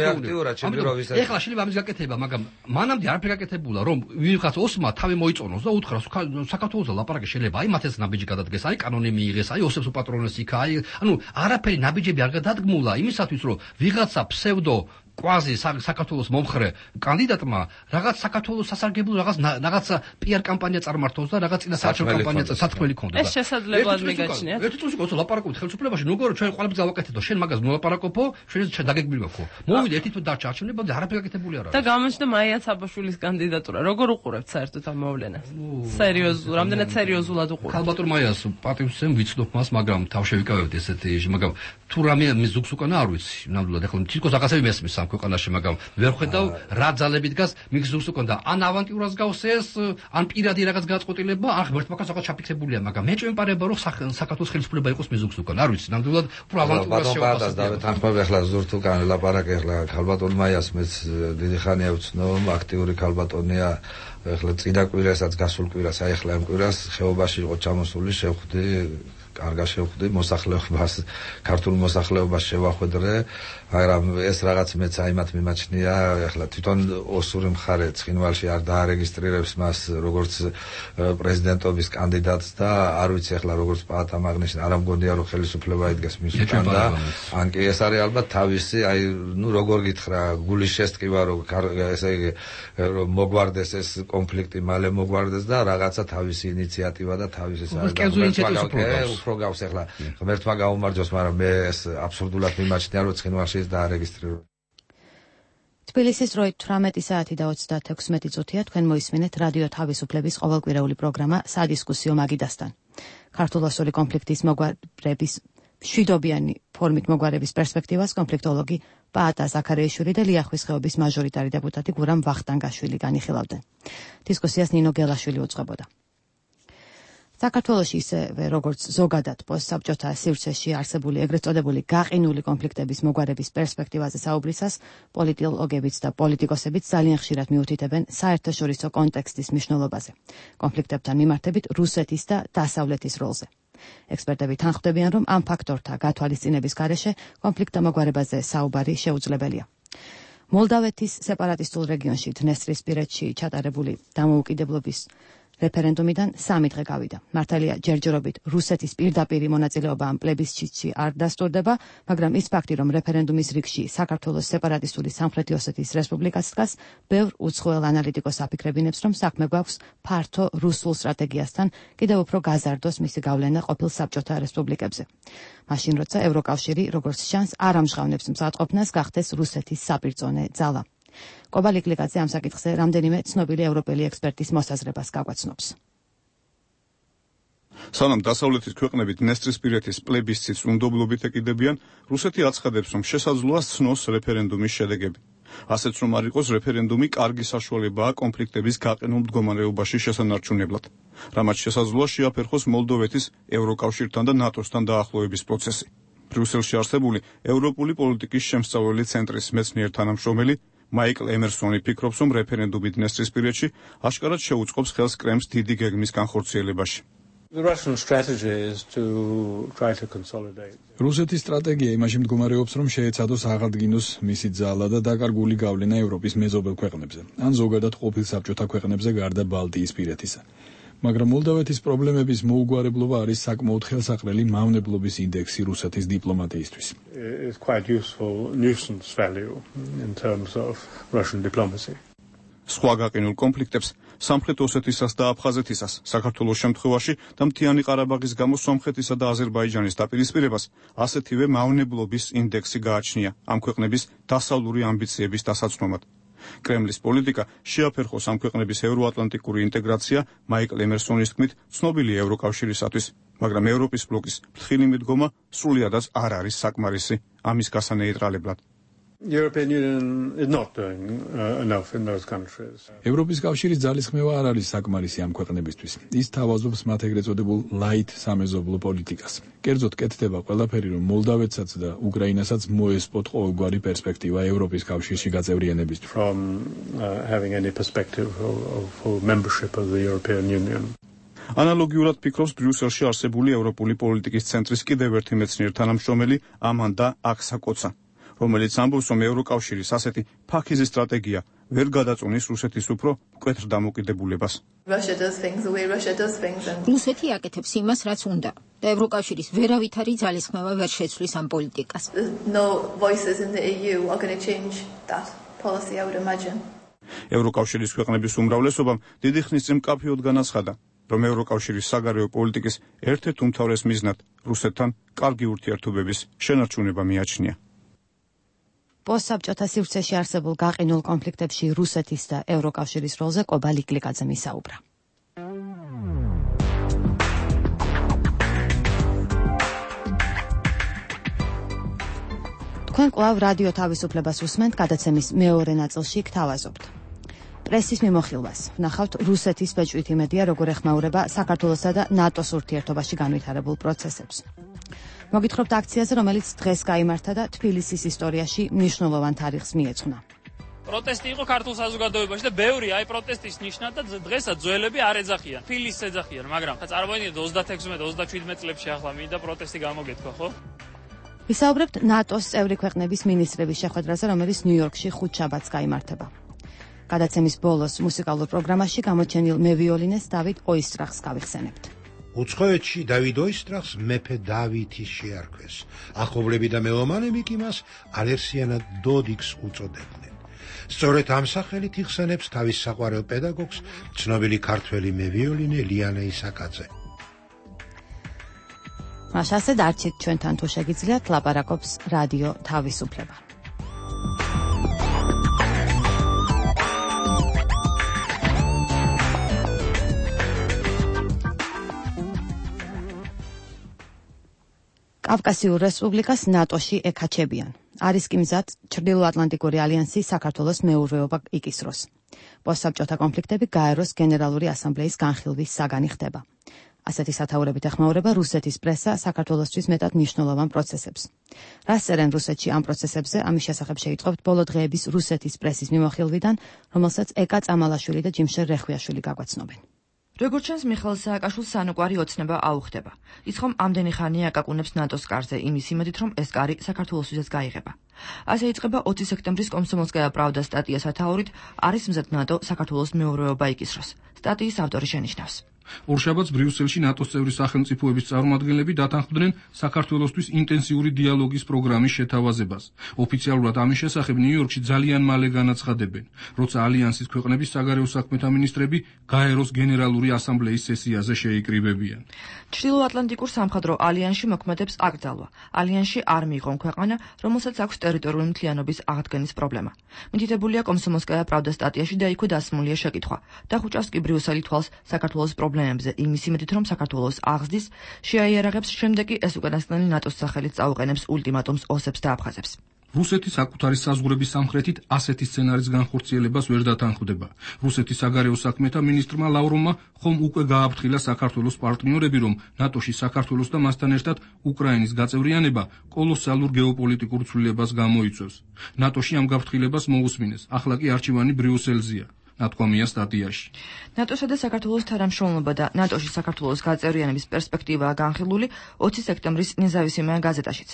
რეაქტიურად ჩიმბიროვის. ეხლა შეიძლება ამის გაკეთება, მაგრამ მანამდე არაფერი გაკეთებულა, რომ ვიღაც ოსმა თავი მოიწონოს და უთხრას საქართველოს ლაპარაკი შეიძლება აი მათ ეს ნაბიჯი გადადგეს, აი კანონი მიიღეს, აი ოსებს უპატრონეს იქ, აი ანუ არაფერი ნაბიჯები არ გადადგმულა იმისათვის, რომ ვიღაცა ფსევდო კვაზი საქართველოს მომხრე კანდიდატმა რაღაც საქართველოს სასარგებლო რაღაც რაღაც პიარ კამპანია წარმართოს და რაღაც წინასაარჩევნო კამპანია სათქმელი ქონდა. ეს შესაძლებლად მიგაჩნია. ერთი წუთი გოცა ლაპარაკობთ ხელისუფლებაში, ნუგორო ჩვენ ყველაფერს გავაკეთებთ, შენ მაგას მოლაპარაკობო, შენ დაგეგმილი გაქო. მოვიდე ერთი თვე დარჩა არჩევნებამდე, არაფერი გაკეთებული არ არის. და გამოჩნდა მაია საბაშვილის კანდიდატურა. როგორ უყურებთ საერთოდ ამ მოვლენას? სერიოზულ, რამდენად სერიოზულად უყურებთ? ქალბატონ მაიას პატივსცემ ვიცნობ მას, მაგრამ თავში ვიკავებდი ესეთი, მაგრამ თუ რამე მის ზუგს უკანა არ ვიცი. ნამდვილად ახლა თვითონ რაღაცები მესმის ამ ქვეყანაში, მაგრამ ვერ ხედავ რა ძალები დგას მიგზურს უკან და ან ავანტიურას გავს ეს, ან პირადი რაღაც გაწყვეტილება, ან ღმერთმა რაღაც ჩაფიქსებულია, მაგრამ მე ჭვემპარება რომ საქართველოს ხელისუფლება იყოს მიზუგს უკან. არ ვიცი, ნამდვილად უფრო ავანტიურას შევაფასებ. ბატონ თანხმობ ახლა ზურთ უკან ლაპარაკი ახლა ქალბატონ მაიას მეც დიდი ხანია ვცნო, აქტიური ქალბატონია. ახლა წინა კვირასაც გასულ კვირას, აი ახლა ამ კვირას ხეობაში იყო ჩამოსული, შევხვდი კარგა შევხვდი მოსახლეობას, ქართულ მოსახლეობას შევახვედრე, მაგრამ ეს რაღაც მეც აიმათ მიმაჩნია, ახლა თვითონ ოსური მხარე ცხინვალში არ დაარეგისტრირებს მას როგორც პრეზიდენტობის კანდიდატს და არ ვიცი ახლა როგორც პაატამ აღნიშნა, არ ამგონია რომ ხელისუფლება იდგეს მის უკან და ან კი ეს არის ალბათ თავისი, აი ნუ როგორ გითხრა, გულის შესტკივა რომ ესე იგი რომ მოგვარდეს ეს კონფლიქტი, მალე მოგვარდეს და რაღაცა თავისი ინიციატივა და თავისი საერთო უფრო გავს ახლა ღმერთმა გაუმარჯოს, მაგრამ მე ეს აბსურდულად მიმაჩნია რომ ცხინვალში ეს დაარეგისტრირება. თბილისის დროით თვრამეტი საათი და ოცდაექვსი წუთია, თქვენ მოისმინეთ რადიო თავისუფლების ყოველკვირეული პროგრამა სადისკუსიო მაგიდასთან. ქართულ-ოსური კონფლიქტის მოგვარების მშვიდობიანი ფორმით მოგვარების პერსპექტივას კონფლიქტოლოგი პაატა ზაქარიაშვილი და ლიახვის ხეობის მაჟორიტარი დეპუტატი გურამ ვახტანგაშვილი განიხილავდნენ. დისკუსიას ნინო გელაშვილი უძღვებოდა. საქართველოში ისევე როგორც ზოგადად პოსტსაბჭოთა სივრცეში არსებული ეგრეთ წოდებული გაყინული კონფლიქტების მოგვარების პერსპექტივაზე საუბრისას პოლიტოლოგებიც და პოლიტიკოსებიც ძალიან ხშირად მიუთითებენ საერთაშორისო კონტექსტის მნიშვნელობაზე, კონფლიქტებთან მიმართებით რუსეთის და დასავლეთის როლზე. ექსპერტები თანხმდებიან, რომ ამ ფაქტორთა გათვალისწინების გარეშე კონფლიქტთა მოგვარებაზე საუბარი შეუძლებელია. მოლდავეთის სეპარატისტულ რეგიონში დნესტრისპირეთში ჩატარებული დამოუკიდებლობის რეფერენდუმიდან სამი დღე გავიდა. მართალია ჯერჯერობით რუსეთის პირდაპირი მონაწილეობა ამ პლებისციტში არ დასტურდება, მაგრამ ის ფაქტი, რომ რეფერენდუმის რიგში საქართველოს სეპარატისტული სამხრეთი ოსეთის რესპუბლიკაც დგას, ბევრ უცხოელ ანალიტიკოს აფიქრებინებს, რომ საქმე გვაქვს ფართო რუსულ სტრატეგიასთან, კიდევ უფრო გაზარდოს მისი გავლენა ყოფილ საბჭოთა რესპუბლიკებზე. მაშინ როცა ევროკავშირი, როგორც ჩანს, არ ამჟღავნებს მზადყოფნას, გახდეს რუსეთის საპირწონე ძალა. კობალიკ ლიკაძე ამ საკითხზე რამდენიმე ცნობილი ევროპელი ექსპერტის მოსაზრებას გაგვაცნობს. სანამ დასავლეთის ქვეყნები დნესტრისპირეთის პლებისციტს უნდობლობით ეკიდებიან, რუსეთი აცხადებს, რომ შესაძლოა სცნოს რეფერენდუმის შედეგები. ასეც რომ არ იყოს რეფერენდუმი კარგი საშუალებაა კონფლიქტების გაყინულ მდგომარეობაში შესანარჩუნებლად. რამაც შესაძლოა შეაფერხოს მოლდოვეთის ევროკავშირთან და ნატოსთან დაახლოების პროცესი. ბრიუსელში არსებული ევროპული პოლიტიკის შემსწავლელი ცენტრის მეცნიერ თანამშრომელი მაიკლ ემერსონი ფიქრობს, რომ რეფერენდუმი დნესტრისპირეთში აშკარად შეუწყობს ხელს კრემლს დიდი გეგმის განხორციელებაში. რუსეთის სტრატეგია იმაში მდგომარეობს, რომ შეეცადოს აღადგინოს მისი ძალა და დაკარგული გავლენა ევროპის მეზობელ ქვეყნებზე, ან ზოგადად ყოფილ საბჭოთა ქვეყნებზე გარდა ბალტიისპირეთისა. მაგრამ მოლდავეთის პრობლემების მოუგვარებლობა არის საკმაოდ ხელსაყრელი მავნებლობის ინდექსი რუსეთის დიპლომატიისთვის. სხვა გაყინულ კონფლიქტებს, სამხრეთ ოსეთისას და აფხაზეთისას, საქართველოს შემთხვევაში და მთიანი ყარაბაღის გამო სომხეთისა და აზერბაიჯანის დაპირისპირებას, ასეთივე მავნებლობის ინდექსი გააჩნია ამ ქვეყნების დასავლური ამბიციების დასაცმომად. კრემლის პოლიტიკა შეაფერხოს ამ ქვეყნების ევროატლანტიკური ინტეგრაცია მაიკლ ემერსონის თქმით ცნობილი ევროკავშირისათვის, მაგრამ ევროპის ბლოკის ფრთხილი მიდგომა სრულიადაც არ არის საკმარისი ამის გასანეიტრალებლად. European Union is not doing uh, enough in those countries. ევროპის კავშირის ძალისხმევა არ არის საკმარისი ამ ქვეყნებისთვის. ის თავაზობს მათ ეგრეთ წოდებულ light სამეზობლო პოლიტიკას. კერძოდ კეთდება ყველაფერი, რომ მოლდავეთსაც და უკრაინასაც მოესპოთ ყოველგვარი პერსპექტივა ევროპის კავშირში გაწევრიანებისთვის. From uh, having any perspective of, of membership of the European Union. ანალოგიურად ფიქრობს ბრიუსელში არსებული ევროპული პოლიტიკის ცენტრის კიდევ ერთი მეცნიერ თანამშრომელი ამანდა აქსაკოცა, რომელიც ამბობს, რომ ევროკავშირის ასეთი ფაქიზი სტრატეგია ვერ გადაწყვეტს რუსეთის უფრო მკვეთრ დამოკიდებულებას. რუსეთი აკეთებს იმას, რაც უნდა, და ევროკავშირის ვერავითარი ძალისხმევა ვერ შეცვლის ამ პოლიტიკას. ევროკავშირის ქვეყნების უმრავლესობამ დიდი ხნის წინ მკაფიოდ განაცხადა, რომ ევროკავშირის საგარეო პოლიტიკის ერთ-ერთ უმთავრეს მიზნად რუსეთთან კარგი ურთიერთობების შენარჩუნება მიაჩნია. პოსტსაბჭოთა სივრცეში არსებულ გაყინულ კონფლიქტებში რუსეთის და ევროკავშირის როლზე კობა ლიკლიკაძემ ისაუბრა. თქვენ კვლავ რადიო თავისუფლებას უსმენთ, გადაცემის მეორე ნაწილში გთავაზობთ. პრესის მიმოხილვას ვნახავთ რუსეთის ბეჭვით იმედია, როგორ ეხმაურება საქართველოსა და ნატოს ურთიერთობაში განვითარებულ პროცესებს. მოგითხრობთ აქციაზე, რომელიც დღეს გაიმართა და თბილისის ისტორიაში მნიშვნელოვან თარიღს მიეძღვნა. პროტესტი იყო ქართულ საზოგადოებაში და ბევრი აი პროტესტის ნიშნად და დღესაც ძველები არ ეძახიან. თბილისს ეძახიან, მაგრამ წარმოიდგინეთ ოცდათექვსმეტ ოცდაშვიდმეტ წლებში ახლა მინდა პროტესტი გამოგეთქვა, ხო? ვისაუბრებთ ნატოს წევრი ქვეყნების მინისტრების შეხვედრაზე, რომელიც ნიუ-იორკში ხუთშაბათს გაიმართება. გადაცემის ბოლოს მუსიკალურ პროგრამაში გამოჩენილ მევიოლინეს დავით ოისტრახს გავიხსენებთ. უცხოეთში დავით ოისტრახს მეფე დავითის შეარქვეს. ახლობლები და მელომანები კი მას ალერსიანად დოდიქს უწოდებდნენ. სწორედ ამ სახელით იხსენებს თავის საყვარელ პედაგოგს ცნობილი ქართველი მევიოლინე ლიანა ისაკაძე. მაშასე დარჩით ჩვენთან თუ შეგიძლიათ, ლაპარაკობს რადიო თავისუფლება. კავკასიურ რესპუბლიკას ნატოში ეკაჩებიან. არის კი მზად ჩრდილოატლანტიკური ალიანსი საქართველოს მეურვეობა იკისროს. პოსტსაბჭოთა კონფლიქტები გაეროს გენერალური ასამბლეის განხილვის საგანი ხდება. ასეთი სათაურებით ეხმაურება რუსეთის პრესა საქართველოსთვის მეტად მნიშვნელოვან პროცესებს. რას წერენ რუსეთში ამ პროცესებზე, ამის შესახებ შეიტყობთ ბოლო დღეების რუსეთის პრესის მიმოხილვიდან, რომელსაც ეკა წამალაშვილი და ჯიმშერ რეხვიაშვილი გაგვაცნობენ. როგორც ჩანს, მიხეილ სააკაშვილს სანუკვარი ოცნება აუხდება. ის ხომ ამდენი ხანია აკაკუნებს ნატოს კარზე იმის იმედით, რომ ეს კარი საქართველოსთვისაც გაიღება. ასე იწყება ოცი სექტემბრის კომსომოლსკაია პრავდა სტატია სათაურით არის მზად ნატო საქართველოს მეურვეობა იკისროს. სტატიის ავტორი შენიშნავს. ორშაბათს ბრიუსელში ნატოს წევრი სახელმწიფოების წარმომადგენლები დათანხმდნენ საქართველოსთვის ინტენსიური დიალოგის პროგრამის შეთავაზებას. ოფიციალურად ამის შესახებ ნიუ-იორკში ძალიან მალე განაცხადებენ, როცა ალიანსის ქვეყნების საგარეო საქმეთა მინისტრები გაეროს გენერალური ასამბლეის სესიაზე შეიკრიბებიან. ჩრდილოატლანტიკურ სამხედრო ალიანსში მოქმედებს აკრძალვა. ალიანსში არ მიიღონ ქვეყანა, რომელსაც აქვს ტერიტორიული მთლიანობის აღდგენის პრობლემა. მითითებულია კომსომოლსკაია პრავდა სტატიაში და იქვე დასმულია შეკითხვა. დახუჭავს კი ბრიუსელი თვალს საქართველოს პრობლემებზე იმის იმედით, რომ საქართველოს აღზრდის შეაიარაღებს, შემდეგ კი ეს უკანასკნელი ნატოს სახელით წაუყენებს ულტიმატუმს ოსებს და აფხაზებს. რუსეთი საკუთარი საზღვრების სამხრეთით ასეთი სცენარის განხორციელებას ვერ დათანხმდება. რუსეთის საგარეო საქმეთა მინისტრმა ლავროვმა ხომ უკვე გააფრთხილა საქართველოს პარტნიორები, რომ ნატოში საქართველოს და მასთან ერთად უკრაინის გაწევრიანება კოლოსალურ გეოპოლიტიკურ ცვლილებას გამოიწვევს. ნატოში ამ გაფრთხილებას მოусმინეს. ახლა კი არჩევანი ბრიუსელზეა. ნათქვამია სტატიაში. ნატოსა და საქართველოს თანამშრომლობა და ნატოში საქართველოს გაწევრიანების პერსპექტივაა განხილული ოცი სექტემბრის ნეზავისიმაია გაზეტაშიც.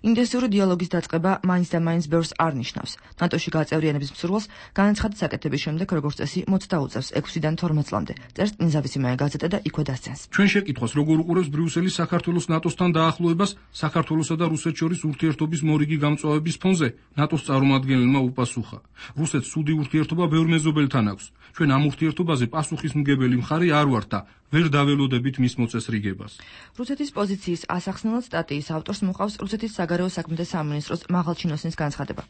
ინტენსიური დიალოგის დაწყება მაინც და მაინც ბევრს არ ნიშნავს. ნატოში გაწევრიანების მსურველს განაცხადის საკეთების შემდეგ, როგორც წესი, მოწდაუწევს ექვსიდან თორმეტ წლამდე. წერს ნეზავისიმაია გაზეტა და იქვე დასცენს. ჩვენ შეკითხვას, როგორ უყურებს ბრიუსელი საქართველოს ნატოსთან დაახლოებას, საქართველოსა და რუსეთს შორის ურთიერთობის მორიგი გამწვავების ფონზე, ნატოს წარმომადგენელმა უპასუხა. რუსეთს სუდი ურთიერთობა ბევრ მეზობელთან აქვს. ჩვენ ამ ურთიერთობაზე პასუხისმგებელი მხარე არ ვართ და ვერ დაველოდებით მის მოწესრიგებას. რუსეთის პოზიციის ასახსნელად სტატიის ავტორს მოყავს რუსეთის საგარეო საქმეთა სამინისტროს მაღალჩინოსნის განცხადება.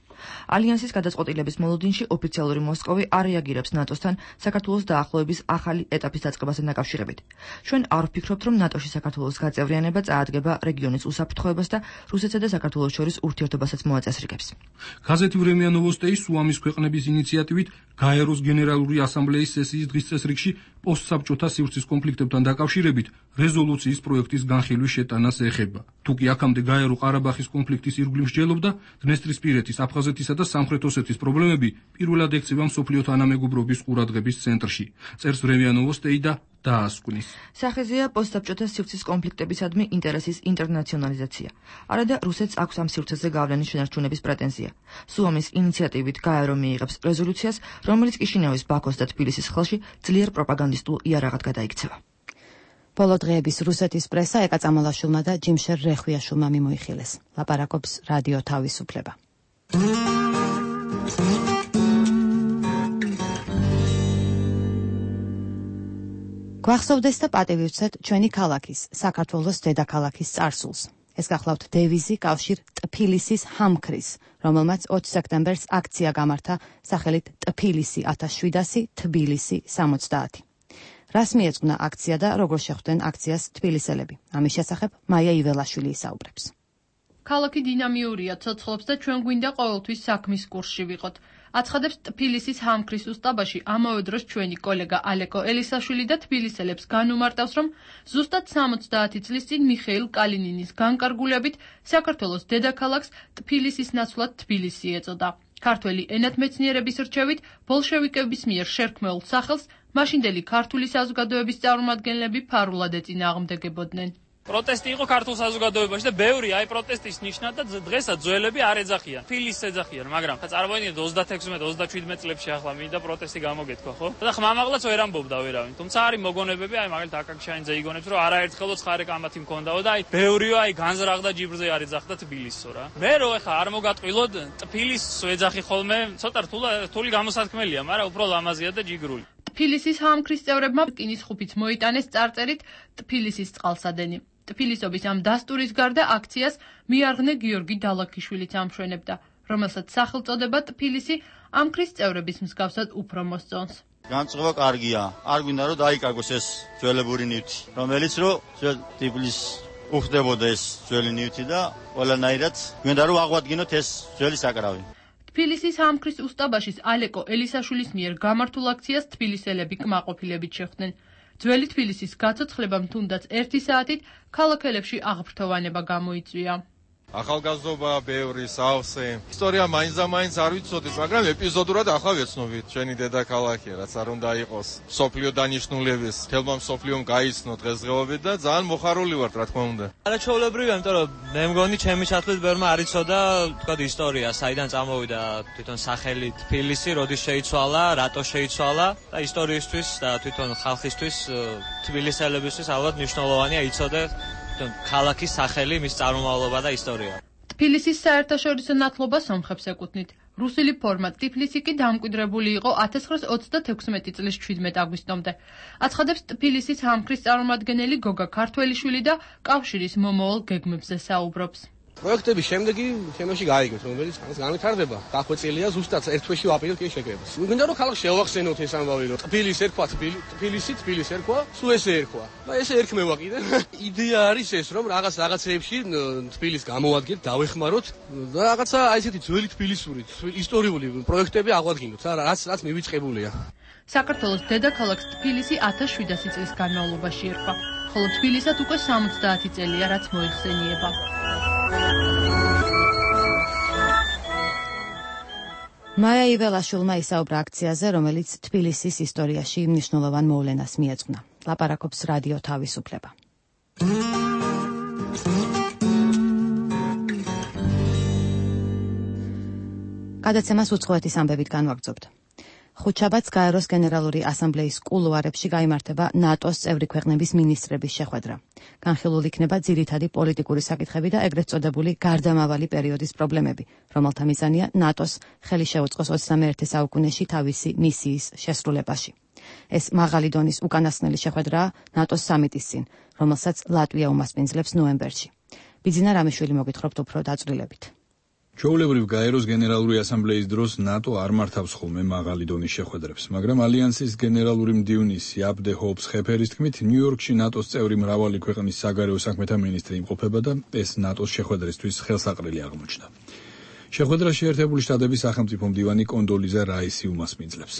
ალიანსის გადაწყვეტილების მოლოდინში ოფიციალური მოსკოვი არ რეაგირებს ნატოსთან საქართველოს დაახლოების ახალი ეტაპის დაწყებასთან დაკავშირებით. ჩვენ არ ვფიქრობთ, რომ ნატოში საქართველოს გაწევრიანება წაადგება რეგიონის უსაფრთხოებას და რუსეთსა და საქართველოს შორის ურთიერთობასაც მოაწესრიგებს. გაზეთი ვრემია ნოვოსტეი სუამის ქვეყნების ინიციატივით გაეროს გენერალური ასამბლეის სესიის დღის წესრიგში პოსტსაბჭოთა სივრცის კონფლიქტებთან დაკავშირებით რეზოლუციის პროექტის განხილვის შეტანას ეხება. თუკი აქამდე გაერო ყარაბახის კონფლიქტის ირგვლივ მსჯელობდა, დნესტრისპირეთის, აფხაზეთისა და სამხრეთ ოსეთის პრობლემები პირველად ექცევა მსოფლიო თანამეგობრობის ყურადღების ცენტრში. წერს ვრემია ნოვოსტეი და დაასკვნის. სახეზეა პოსტსაბჭოთა სივრცის კონფლიქტებისადმი ინტერესის ინტერნაციონალიზაცია. არადა რუსეთს აქვს ამ სივრცეზე გავლენის შენარჩუნების პრეტენზია. სუამის ინიციატივით გაერო მიიღებს რეზოლუციას, რომელიც კიშინევის, ბაქოს და თბილისის ხელში ძლიერ პროპაგანდისტულ იარაღად გადაიქცევა. ბოლო დღეების რუსეთის პრესა ეკა წამალაშვილმა და ჯიმშერ რეხვიაშვილმა მიმოიხილეს. ლაპარაკობს რადიო თავისუფლება. გვახსოვდეს და პატივი ვცეთ ჩვენი ქალაქის, საქართველოს დედაქალაქის წარსულს. ეს გახლავთ დევიზი კავშირ ტფილისის ჰამქრის, რომელმაც ოცი სექტემბერს აქცია გამართა სახელით ტფილისი ათას შვიდასი თბილისი სამოცდაათი. რას მიეძღვნა აქცია და როგორ შეხვდნენ აქციას თბილისელები? ამის შესახებ მაია იველაშვილი ისაუბრებს. ქალაქი დინამიურია, ცოცხლობს და ჩვენ გვინდა ყოველთვის საქმის კურსში ვიყოთ. აცხადებს ტფილისის ჰამქრის უსტაბაში ამავე დროს ჩვენი კოლეგა ალეკო ელისაშვილი და თბილისელებს განუმარტავს, რომ ზუსტად სამოცდაათი წლის წინ მიხეილ კალინინის განკარგულებით საქართველოს დედაქალაქს ტფილისის ნაცვლად თბილისი ეწოდა. ქართველი ენათმეცნიერების რჩევით ბოლშევიკების მიერ შერქმეულ სახელს მაშინდელი ქართული საზოგადოების წარმომადგენლები ფარულად ეწინააღმდეგებოდნენ. პროტესტი იყო ქართულ საზოგადოებაში და ბევრი აი პროტესტის ნიშნად და დღესაც ძველები არ ეძახიან. თბილისს ეძახიან, მაგრამ წარმოიდგინეთ ოცდათექვსმეტ ოცდაშვიდმეტ წლებში ახლა მინდა პროტესტი გამოგეთქვა, ხო? და ხმამაღლაც ვერ ამბობდა ვერავინ. თუმცა არის მოგონებები, აი მაგალითად აკაკშაინძე იგონებს, რომ არაერთხელო ცხარე კამათი მქონდაო და აი ბევრიო აი განზრახდა ჯიბრზე არ ეძახდა თბილისსო რა. მე რო ეხა არ მოგატყვილოდ თბილისს ეძახი ხოლმე, ცოტა რთული გამოსათქმელია, მაგრამ უფრო ლამაზია და ჯიგრული. თბილისის ჰამქრის წევრებმა რკინის ხუფიც მოიტანეს წარწერით ტფილისის წყალსადენი. ტფილისობის ამ დასტურის გარდა აქციას მიარღნე გიორგი დალაქიშვილიც ამშვენებდა, რომელსაც სახელწოდება ტფილისი ამქრის წევრების მსგავსად უფრო მოსწონს. განწყობა კარგია, არ გვინდა რომ დაიკარგოს ეს ძველებური ნივთი, რომელიც რომ ტფილისს უხდებოდა ეს ძველი ნივთი და ყველანაირად გვინდა რომ აღვადგინოთ ეს ძველი საკრავი. თბილისის ჰამქრის უსტაბაშის ალეკო ელისაშვილის მიერ გამართულ აქციას თბილისელები კმაყოფილებით შეხვდნენ. ძველი თბილისის გაცოცხლებამ თუნდაც ერთი საათით ქალაქელებში აღფრთოვანება გამოიწვია. ახალგაზრდობა, ბევრი სავსე. ისტორია მაინც და მაინც არ ვიცოდით, მაგრამ ეპიზოდურად ახლა ვეცნობით. ჩვენი დედაქალაქია, რაც არ უნდა იყოს. სოფლიო დანიშნულების, თელმა სოფლიომ გაიცნო დღესდღეობით და ძალიან მოხარული ვართ, რა თქმა უნდა. არაჩვეულებრივია, იმიტომ რომ მე მგონი ჩემი ჩათვლით ბევრმა არ იცოდა, თქვა ისტორია, საიდან წამოვიდა თვითონ სახელი თბილისი, როდის შეიცვალა, რატო შეიცვალა და ისტორიისთვის და თვითონ ხალხისთვის, თბილისელებისთვის ალბათ მნიშვნელოვანია იცოდეს ქალაქის სახელი, მის წარმომავლობა და ისტორია. თბილისის საერთაშორისო ნათლობა სომხებს ეკუთვნით. რუსული ფორმა ტიფლისი კი დამკვიდრებული იყო ათას ცხრაას ოცდათექვსმეტი წლის შვიდმეტ აგვისტომდე. აცხადებს ტფილისის ჰამქრის წარმომადგენელი გოგა ქართველიშვილი და კავშირის მომავალ გეგმებზე საუბრობს. პროექტების შემდეგი თემაში გაიგებთ, რომელიც ამას განვითარდება. დახვეწილია ზუსტად ერთ თვეში ვაპირებთ კი შეკრებას. მინდა რომ ხალხს შევახსენოთ ეს ამბავი, რომ ტფილისი ერქვა თბილისი, თბილისი ერქვა, სულ ესე ერქვა. და ესე ერქმევა კიდე. იდეა არის ეს, რომ რაღაც რაღაცეებში თბილისს გამოვადგეთ, დავეხმაროთ და რაღაცა აი ესეთი ძველი თბილისური, ისტორიული პროექტები აღვადგინოთ, რაც რაც მივიწყებულია. საქართველოს დედაქალაქს თბილისი ათას შვიდასი წლის განმავლობაში ერქვა, ხოლო თბილისად უკვე სამოცდაათი წელია, რაც მოიხსენიება. მაია იველაშვილმა ისაუბრა აქციაზე, რომელიც თბილისის ისტორიაში მნიშვნელოვან მოვლენას მიეძღვნა. ლაპარაკობს რადიო თავისუფლება. გადაცემას უცხოეთის ამბებით განვაგრძობთ. ხუთშაბათს გაეროს გენერალური ასამბლეის კულუარებში გაიმართება ნატოს წევრი ქვეყნების მინისტრების შეხვედრა. განხილულ იქნება ძირითადი პოლიტიკური საკითხები და ეგრეთ წოდებული გარდამავალი პერიოდის პრობლემები, რომელთა მიზანია ნატოს ხელი შეუწყოს ოცდამეერთე საუკუნეში თავისი მისიის შესრულებაში. ეს მაღალი დონის უკანასკნელი შეხვედრაა ნატოს სამიტის წინ, რომელსაც ლატვია უმასპინძლებს ნოემბერში. ბიძინა რამიშვილი მოგითხრობთ უფრო დაწვრილებით. ჩვეულებრივ გაეროს გენერალური ასამბლეის დროს ნატო არ მართავს ხოლმე მაღალი დონის შეხვედრებს, მაგრამ ალიანსის გენერალური მდივნის იაპ დე ჰოპს ხეფერის თქმით, ნიუ-იორკში ნატოს წევრი მრავალი ქვეყნის საგარეო საქმეთა მინისტრი იმყოფება და ეს ნატოს შეხვედრისთვის ხელსაყრელი აღმოჩნდა. შეხვედრაში ერთებული შტატების სახელმწიფო მდივანი კონდოლიზა რაისი უმასპინძლებს.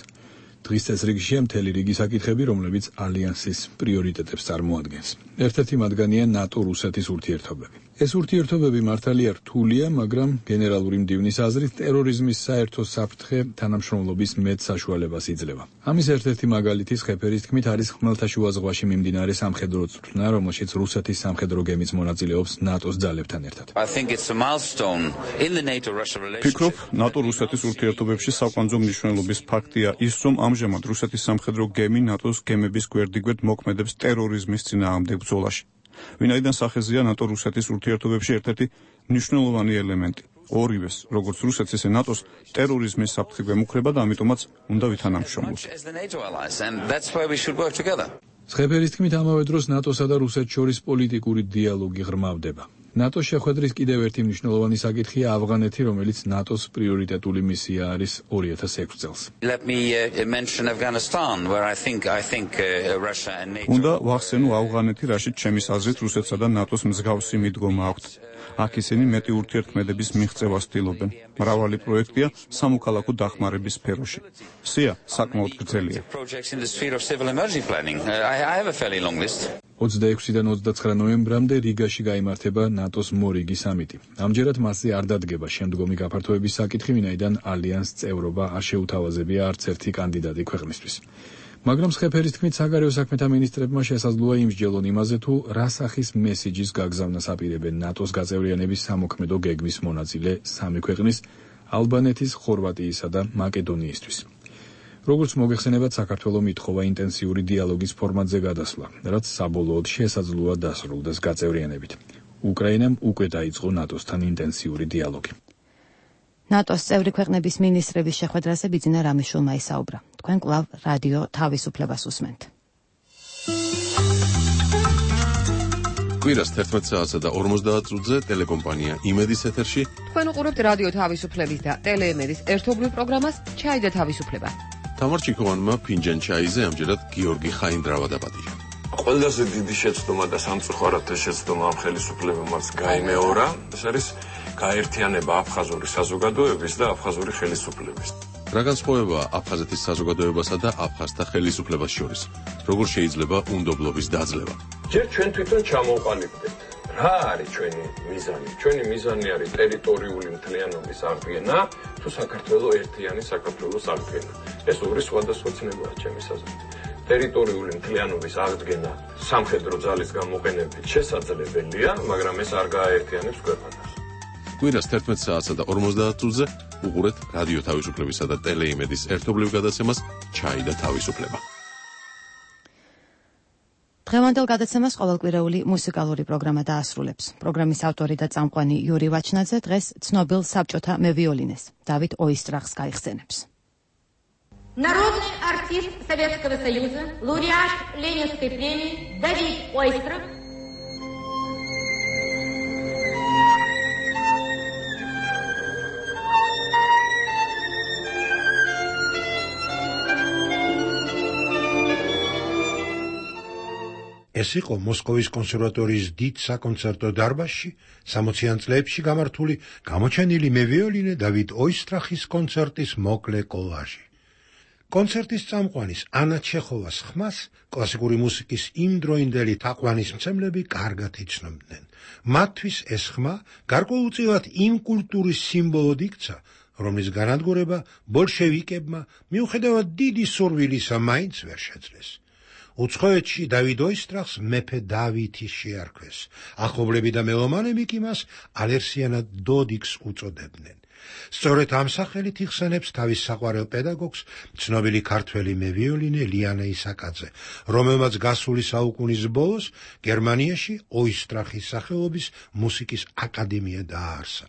დღის წესრიგშია მთელი რიგი საკითხები, რომლებიც ალიანსის პრიორიტეტებს წარმოადგენს. ერთ-ერთი მათგანია ნატო-რუსეთის ურთიერთობები. ეს ურთიერთობები მართალია რთულია, მაგრამ გენერალური მდივნის აზრით ტერორიზმის საერთო საფრთხე თანამშრომლობის მეტ საშუალებას იძლევა. ამის ერთ-ერთი მაგალითი ხეფერის თქმით არის ხმელთაშუა ზღვაში მიმდინარე სამხედრო წვრთნა, რომელშიც რუსეთის სამხედრო გემიც მონაწილეობს ნატოს ძალებთან ერთად. ფიქრობ, ნატო-რუსეთის ურთიერთობებში საკვანძო მნიშვნელობის ფაქტია ის, რომ ამჟამად რუსეთის სამხედრო გემი ნატოს გემების გვერდიგვერდ მოქმედებს ტერორიზმის წინააღმდეგ ბრძოლაში. ვინაიდან სახეზია ნატო-რუსეთის ურთიერთობებში ერთ-ერთი მნიშვნელოვანი ელემენტი. ორივეს, როგორც რუსეთს, ისე ნატოს ტერორიზმის საფრთხე გვემუქრება და ამიტომაც უნდა ვითანამშრომლოთ. ხეფერის თქმით, ამავე დროს ნატოსა და რუსეთს შორის პოლიტიკური დიალოგი ღრმავდება. ნატოს შეხვედრის კიდევ ერთი მნიშვნელოვანი საკითხია ავღანეთი, რომელიც ნატოს პრიორიტეტული მისია არის ორი ათას ექვსი წელს. უნდა ვახსენო ავღანეთი, რაშიც ჩემის აზრით რუსეთსა და ნატოს მსგავსი მიდგომა აქვთ. აქ ისინი მეტი ურთიერთქმედების მიღწევას ცდილობენ. მრავალი პროექტია სამოქალაქო დახმარების სფეროში. სია საკმაოდ გრძელია. ოცდაექვსიდან ოცდაცხრა ნოემბრამდე რიგაში გაიმართება ნატოს მორიგი სამიტი. ამჯერად მასზე არ დადგება შემდგომი გაფართოების საკითხი, ვინაიდან ალიანსს წევრობა არ შეუთავაზებია არც ერთი კანდიდატი ქვეყნისთვის. მაგრამ ხეფერის თქმით, საგარეო საქმეთა მინისტრებმა შესაძლოა იმსჯელონ იმაზე, თუ რა სახის მესიჯის გაგზავნას აპირებენ ნატოს გაწევრიანების სამოქმედო გეგმის მონაწილე სამი ქვეყნის, ალბანეთის, ხორვატიისა და მაკედონიისთვის. როგორც მოგეხსენებათ, საქართველოს მითხოვა ინტენსიური დიალოგის ფორმატზე გადასვლა, რაც საბოლოოდ შესაძლოა დასრულდეს გაწევრიანებით. უკრაინამ უკვე დაიწყო ნატოსთან ინტენსიური დიალოგი. ნატოს წევრი ქვეყნების მინისტრების შეხვედრაზე ბიძინა რამიშვილმა ისაუბრა. თქვენ კვლავ რადიო თავისუფლებას უსმენთ. კვირას თერთმეტ საათსა და ორმოცდაათ წუთზე ტელეკომპანია იმედის ეთერში. თქვენ უყურებთ რადიო თავისუფლების და ტელეიმედის ერთობლივ პროგრამას ჩაი და თავისუფლება. თამარ ჩიქოვანმა ფინჯან ჩაიზე ამჯერად გიორგი ხაინდრავა დაპატიჟა. ყველაზე დიდი შეცდომა და სამწუხაროდ შეცდომა ამ ხელისუფლებამ გაიმეორა. ეს არის გაერთიანება აფხაზური საზოგადოების და აფხაზური ხელისუფლების. რა განსხვავებაა აფხაზეთის საზოგადოებასა და აფხაზთა ხელისუფლებას შორის? როგორ შეიძლება უნდობლობის დაძლევა? ჯერ ჩვენ თვითონ ჩამოვყალიბდეთ. რა არის ჩვენი მიზანი? ჩვენი მიზანი არის ტერიტორიული მთლიანობის აღდგენა, თუ საქართველოს ერთიანი საქართველოს აღდგენა. ეს ორი სხვადასხვა ცნებაა ჩემის აზრით. ტერიტორიული მთლიანობის აღდგენა სამხედრო ძალის გამოყენებით შესაძლებელია, მაგრამ ეს არ გააერთიანებს ქვეყანას. კვირას თერთმეტ საათსა და ორმოცდაათ წუთზე უყურეთ რადიო თავისუფლებისა და ტელეიმედის ერთობლივ გადაცემას ჩაი და თავისუფლება. დღევანდელ გადაცემას ყოველკვირეული მუსიკალური პროგრამა დაასრულებს. პროგრამის ავტორი და წამყვანი იური ვაჩნაძე დღეს ცნობილ საბჭოთა მევიოლინეს დავით ოისტრახს გაიხსენებს. Народный артист Советского Союза, лауреат Ленинской премии Давид Ойстрах ეს იყო მოსკოვის კონსერვატორიის დიდ საკონცერტო დარბაზში სამოციან წლებში გამართული გამოჩენილი მევიოლინე დავით ოისტრახის კონცერტის მოკლე კოლაჟი. კონცერტის წამყვანის ანა ჩეხოვას ხმას კლასიკური მუსიკის იმდროინდელი თაყვანისმცემლები კარგად იცნობდნენ. მათთვის ეს ხმა გარკვეულწილად იმ კულტურის სიმბოლოდ იქცა, რომლის განადგურება ბოლშევიკებმა მიუხედავად დიდი სურვილისა მაინც ვერ შეძლეს. უცხოეთში დავით ოისტრახს მეფე დავითი შეარქვეს. ახლობლები და მელომანები კი მას ალერსიანად დოდიკს უწოდებდნენ. სწორედ ამ სახელით იხსენებს თავის საყვარელ პედაგოგს ცნობილი ქართველი მევიოლინე ლიანა ისაკაძე, რომელმაც გასული საუკუნის ბოლოს გერმანიაში ოისტრახის სახელობის მუსიკის აკადემია დააარსა.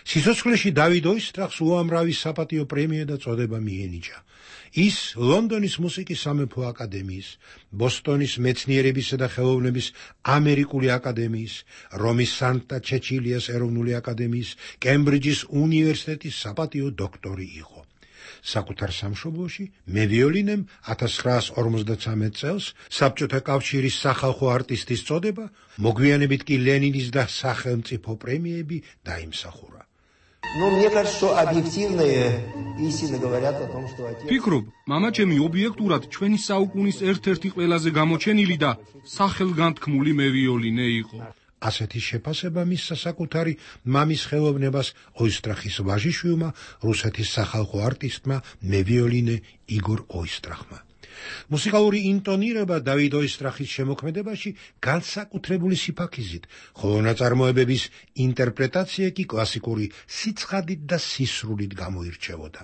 სიცოცხლეში დავით ოისტრახს უამრავი საპატიო პრემია და წოდება მიენიჭა. ის ლონდონის მუსიკის სამეფო აკადემიის, ბოსტონის მეცნიერებისა და ხელოვნების ამერიკული აკადემიის, რომის სანტა ჩეჩილიას ეროვნული აკადემიის, კემბრიჯის უნივერსიტეტის საპატიო დოქტორი იყო. საკუთარ სამშობლოში მევიოლინემ ათას ცხრაას ორმოცდათვრამეტ წელს საბჭოთა კავშირის სახალხო არტისტის წოდება, მოგვიანებით კი ლენინის და სახელმწიფო პრემიები დაიმსახურა. Ну, мне кажется, что объективные истины говорят о том, что отец... ფიქრობ, მამაჩემი ობიექტურად ჩვენი საუკუნის ერთ-ერთი ყველაზე გამოჩენილი და სახელგანთქმული მევიოლინე იყო. ასეთი შეფასება მისცა საკუთარი მამის ხელოვნებას ოისტრახის ვაჟიშვილმა, რუსეთის სახალხო არტისტმა მევიოლინე იგორ ოისტრახმა. მუსიკალური ინტონირება დავით ოისტრახის შემოქმედებაში განსაკუთრებული სიფაქიზით, ხოლო ნაწარმოებების ინტერპრეტაცია კი კლასიკური სიცხადით და სისრულით გამოირჩევოდა.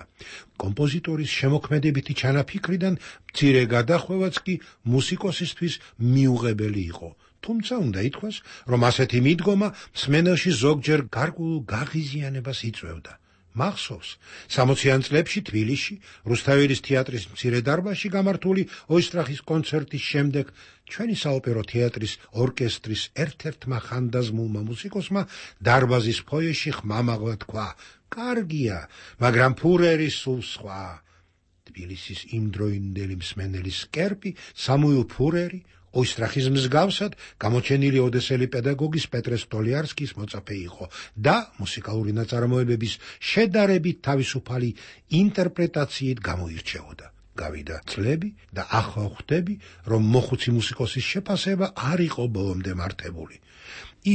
კომპოზიტორის შემოქმედებითი ჩანაფიქრიდან მცირე გადახვევაც კი მუსიკოსისთვის მიუღებელი იყო. თუმცა უნდა ითქვას, რომ ასეთი მიდგომა მსმენელში ზოგჯერ გარკვეულ გაღიზიანებას იწვევდა. მახსოვს, სამოციან წლებში თბილისში, რუსთაველის თეატრის მცირე დარბაზში გამართული ოისტრახის კონცერტის შემდეგ ჩვენი საოპერო თეატრის ორკესტრის ერთ-ერთმა ხანდაზმულმა მუსიკოსმა დარბაზის ფოიეში ხმამაღლა თქვა: კარგია, მაგრამ ფურერი სულ სხვა. თბილისის იმდროინდელი მსმენელის კერპი სამუილ ფურერი ოისტრახის მსგავსად გამოჩენილი ოდესელი პედაგოგის პეტრე სტოლიარსკის მოწაფე იყო და მუსიკალური ნაწარმოებების შედარებით თავისუფალი ინტერპრეტაციით გამოირჩეოდა. გავიდა წლები და ახლა ხვდები, რომ მოხუცი მუსიკოსის შეფასება არ იყო ბოლომდე მართებული.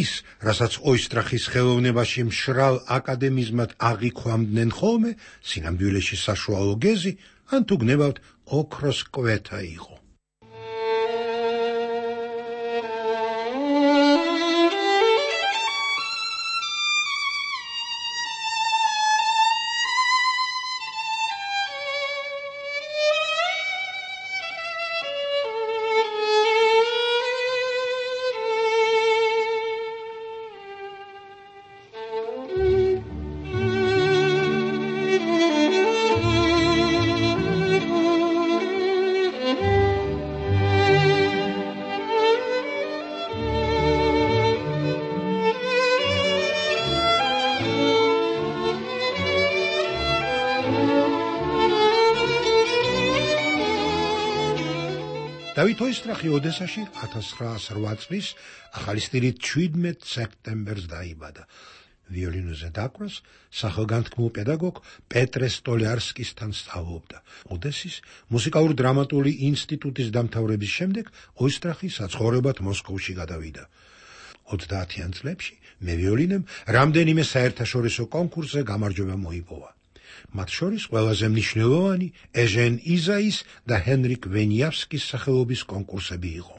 ის, რასაც ოისტრახის ხელოვნებაში მშრალ აკადემიზმად აღიქვამდნენ ხოლმე, სინამდვილეში საშუალო გეზი, ან თუ გნებავთ ოქროს კვეთა იყო. დავით ოისტრახი ოდესაში ათას ცხრაას რვა წლის ახალი სტილით შვიდმეტ სექტემბერს დაიბადა. ვიოლინოზე დაკვრას სახელგანთქმულ პედაგოგ პეტრე სტოლიარსკისთან სწავლობდა. ოდესის მუსიკალურ-დრამატული ინსტიტუტის დამთავრების შემდეგ ოისტრახი საცხოვრებლად მოსკოვში გადავიდა. ოცდაათიან წლებში მევიოლინემ რამდენიმე საერთაშორისო კონკურსზე გამარჯვება მოიპოვა. მათ შორის ყველაზე მნიშვნელოვანი ეჟენ იზაის და ჰენრიკ ვენიავსკის სახელობის კონკურსები იყო.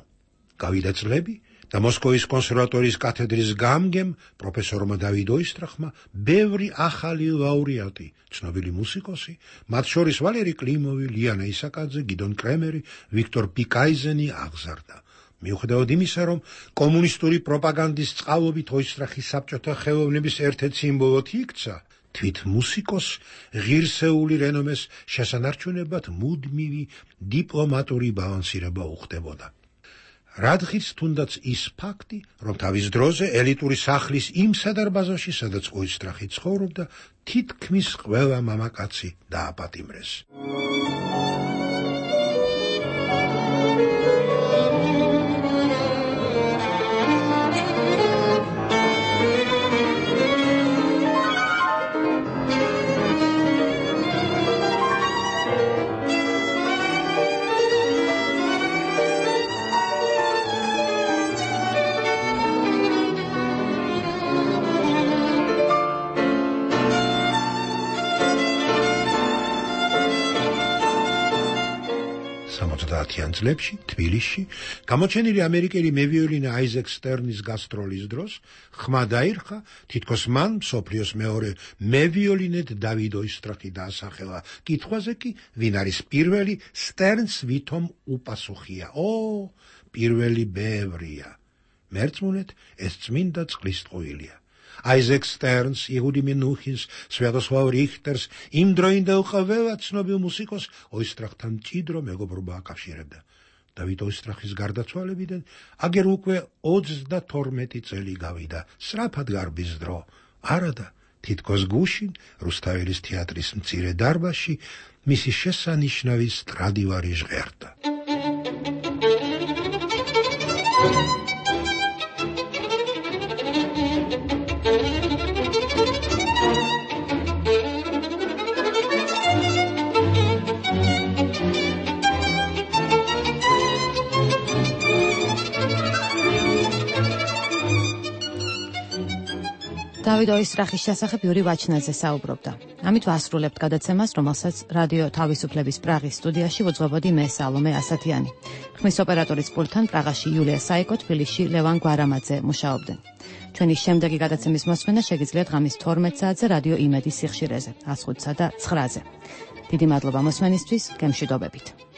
გავიდა წლები და მოსკოვის კონსერვატორიის კათედრის გამგემ პროფესორმა დავით ოისტრახმა ბევრი ახალი ლაურეატი, ცნობილი მუსიკოსი, მათ შორის ვალერი კლიმოვი, ლიანა ისაკაძე, გიდონ კრემერი, ვიქტორ პიკაიზენი აღზარდა. მიუხედავად იმისა, რომ კომუნისტური პროპაგანდის წყალობით ოისტრახის საბჭოთა ხელოვნების ერთ-ერთ სიმბოლოდ იქცა, თვით მუსიკოსს ღირსეული რენომეს შესანარჩუნებლად მუდმივი დიპლომატური ბალანსირება უხდებოდა. რადგის თუნდაც ის ფაქტი, რომ თავის დროზე ელიტური სახლის იმ სადარბაზოში, სადაც ოისტრახი ცხოვრობდა, თითქმის ყველა მამაკაცი დააპატიმრეს. ოცდაათიან წლებში თბილისში გამოჩენილი ამერიკელი მევიოლინე აიზეკ სტერნის გასტროლის დროს ხმა დაირხა თითქოს მან მსოფლიოს მეორე მევიოლინედ დავიდ ოისტრახი დაასახელა კითხვაზე კი ვინ არის პირველი სტერნს ვითომ უპასუხია ო პირველი ბევრია მერწმუნეთ ეს წმინდა წყლის ტყუილია აიზეკ სტერნს, იგუდი მინუხინს, სვიატოსლავ რიხტერს იმ დროინდელ ყველა ცნობილ მუსიკოს ოისტრახთან მჭიდრო მეგობრობა აკავშირებდა. დავით ოისტრახის გარდაცვალებიდან აგერ უკვე ოცდათორმეტი წელი გავიდა. სწრაფად გარბის დრო. არადა, თითქოს გუშინ რუსთაველის თეატრის მცირე დარბაზში მისი შესანიშნავი სტრადივარი ჟღერდა. დავით ოისტრახის შესახებ იური ვაჩნაძე საუბრობდა. ამით ვასრულებთ გადაცემას, რომელსაც რადიო თავისუფლების პრაღის სტუდიაში ვუძღვებოდი მე სალომე ასათიანი. ხმის ოპერატორის პულტთან პრაღაში იულია საიკო, თბილისში ლევან გვარამაძე მუშაობდნენ. ჩვენი შემდეგი გადაცემის მოსმენა შეგიძლიათ ღამის თორმეტ საათზე რადიო იმედის სიხშირეზე, ას ხუთსა და ცხრაზე. დიდი მადლობა მოსმენისთვის, გემშვიდობებით.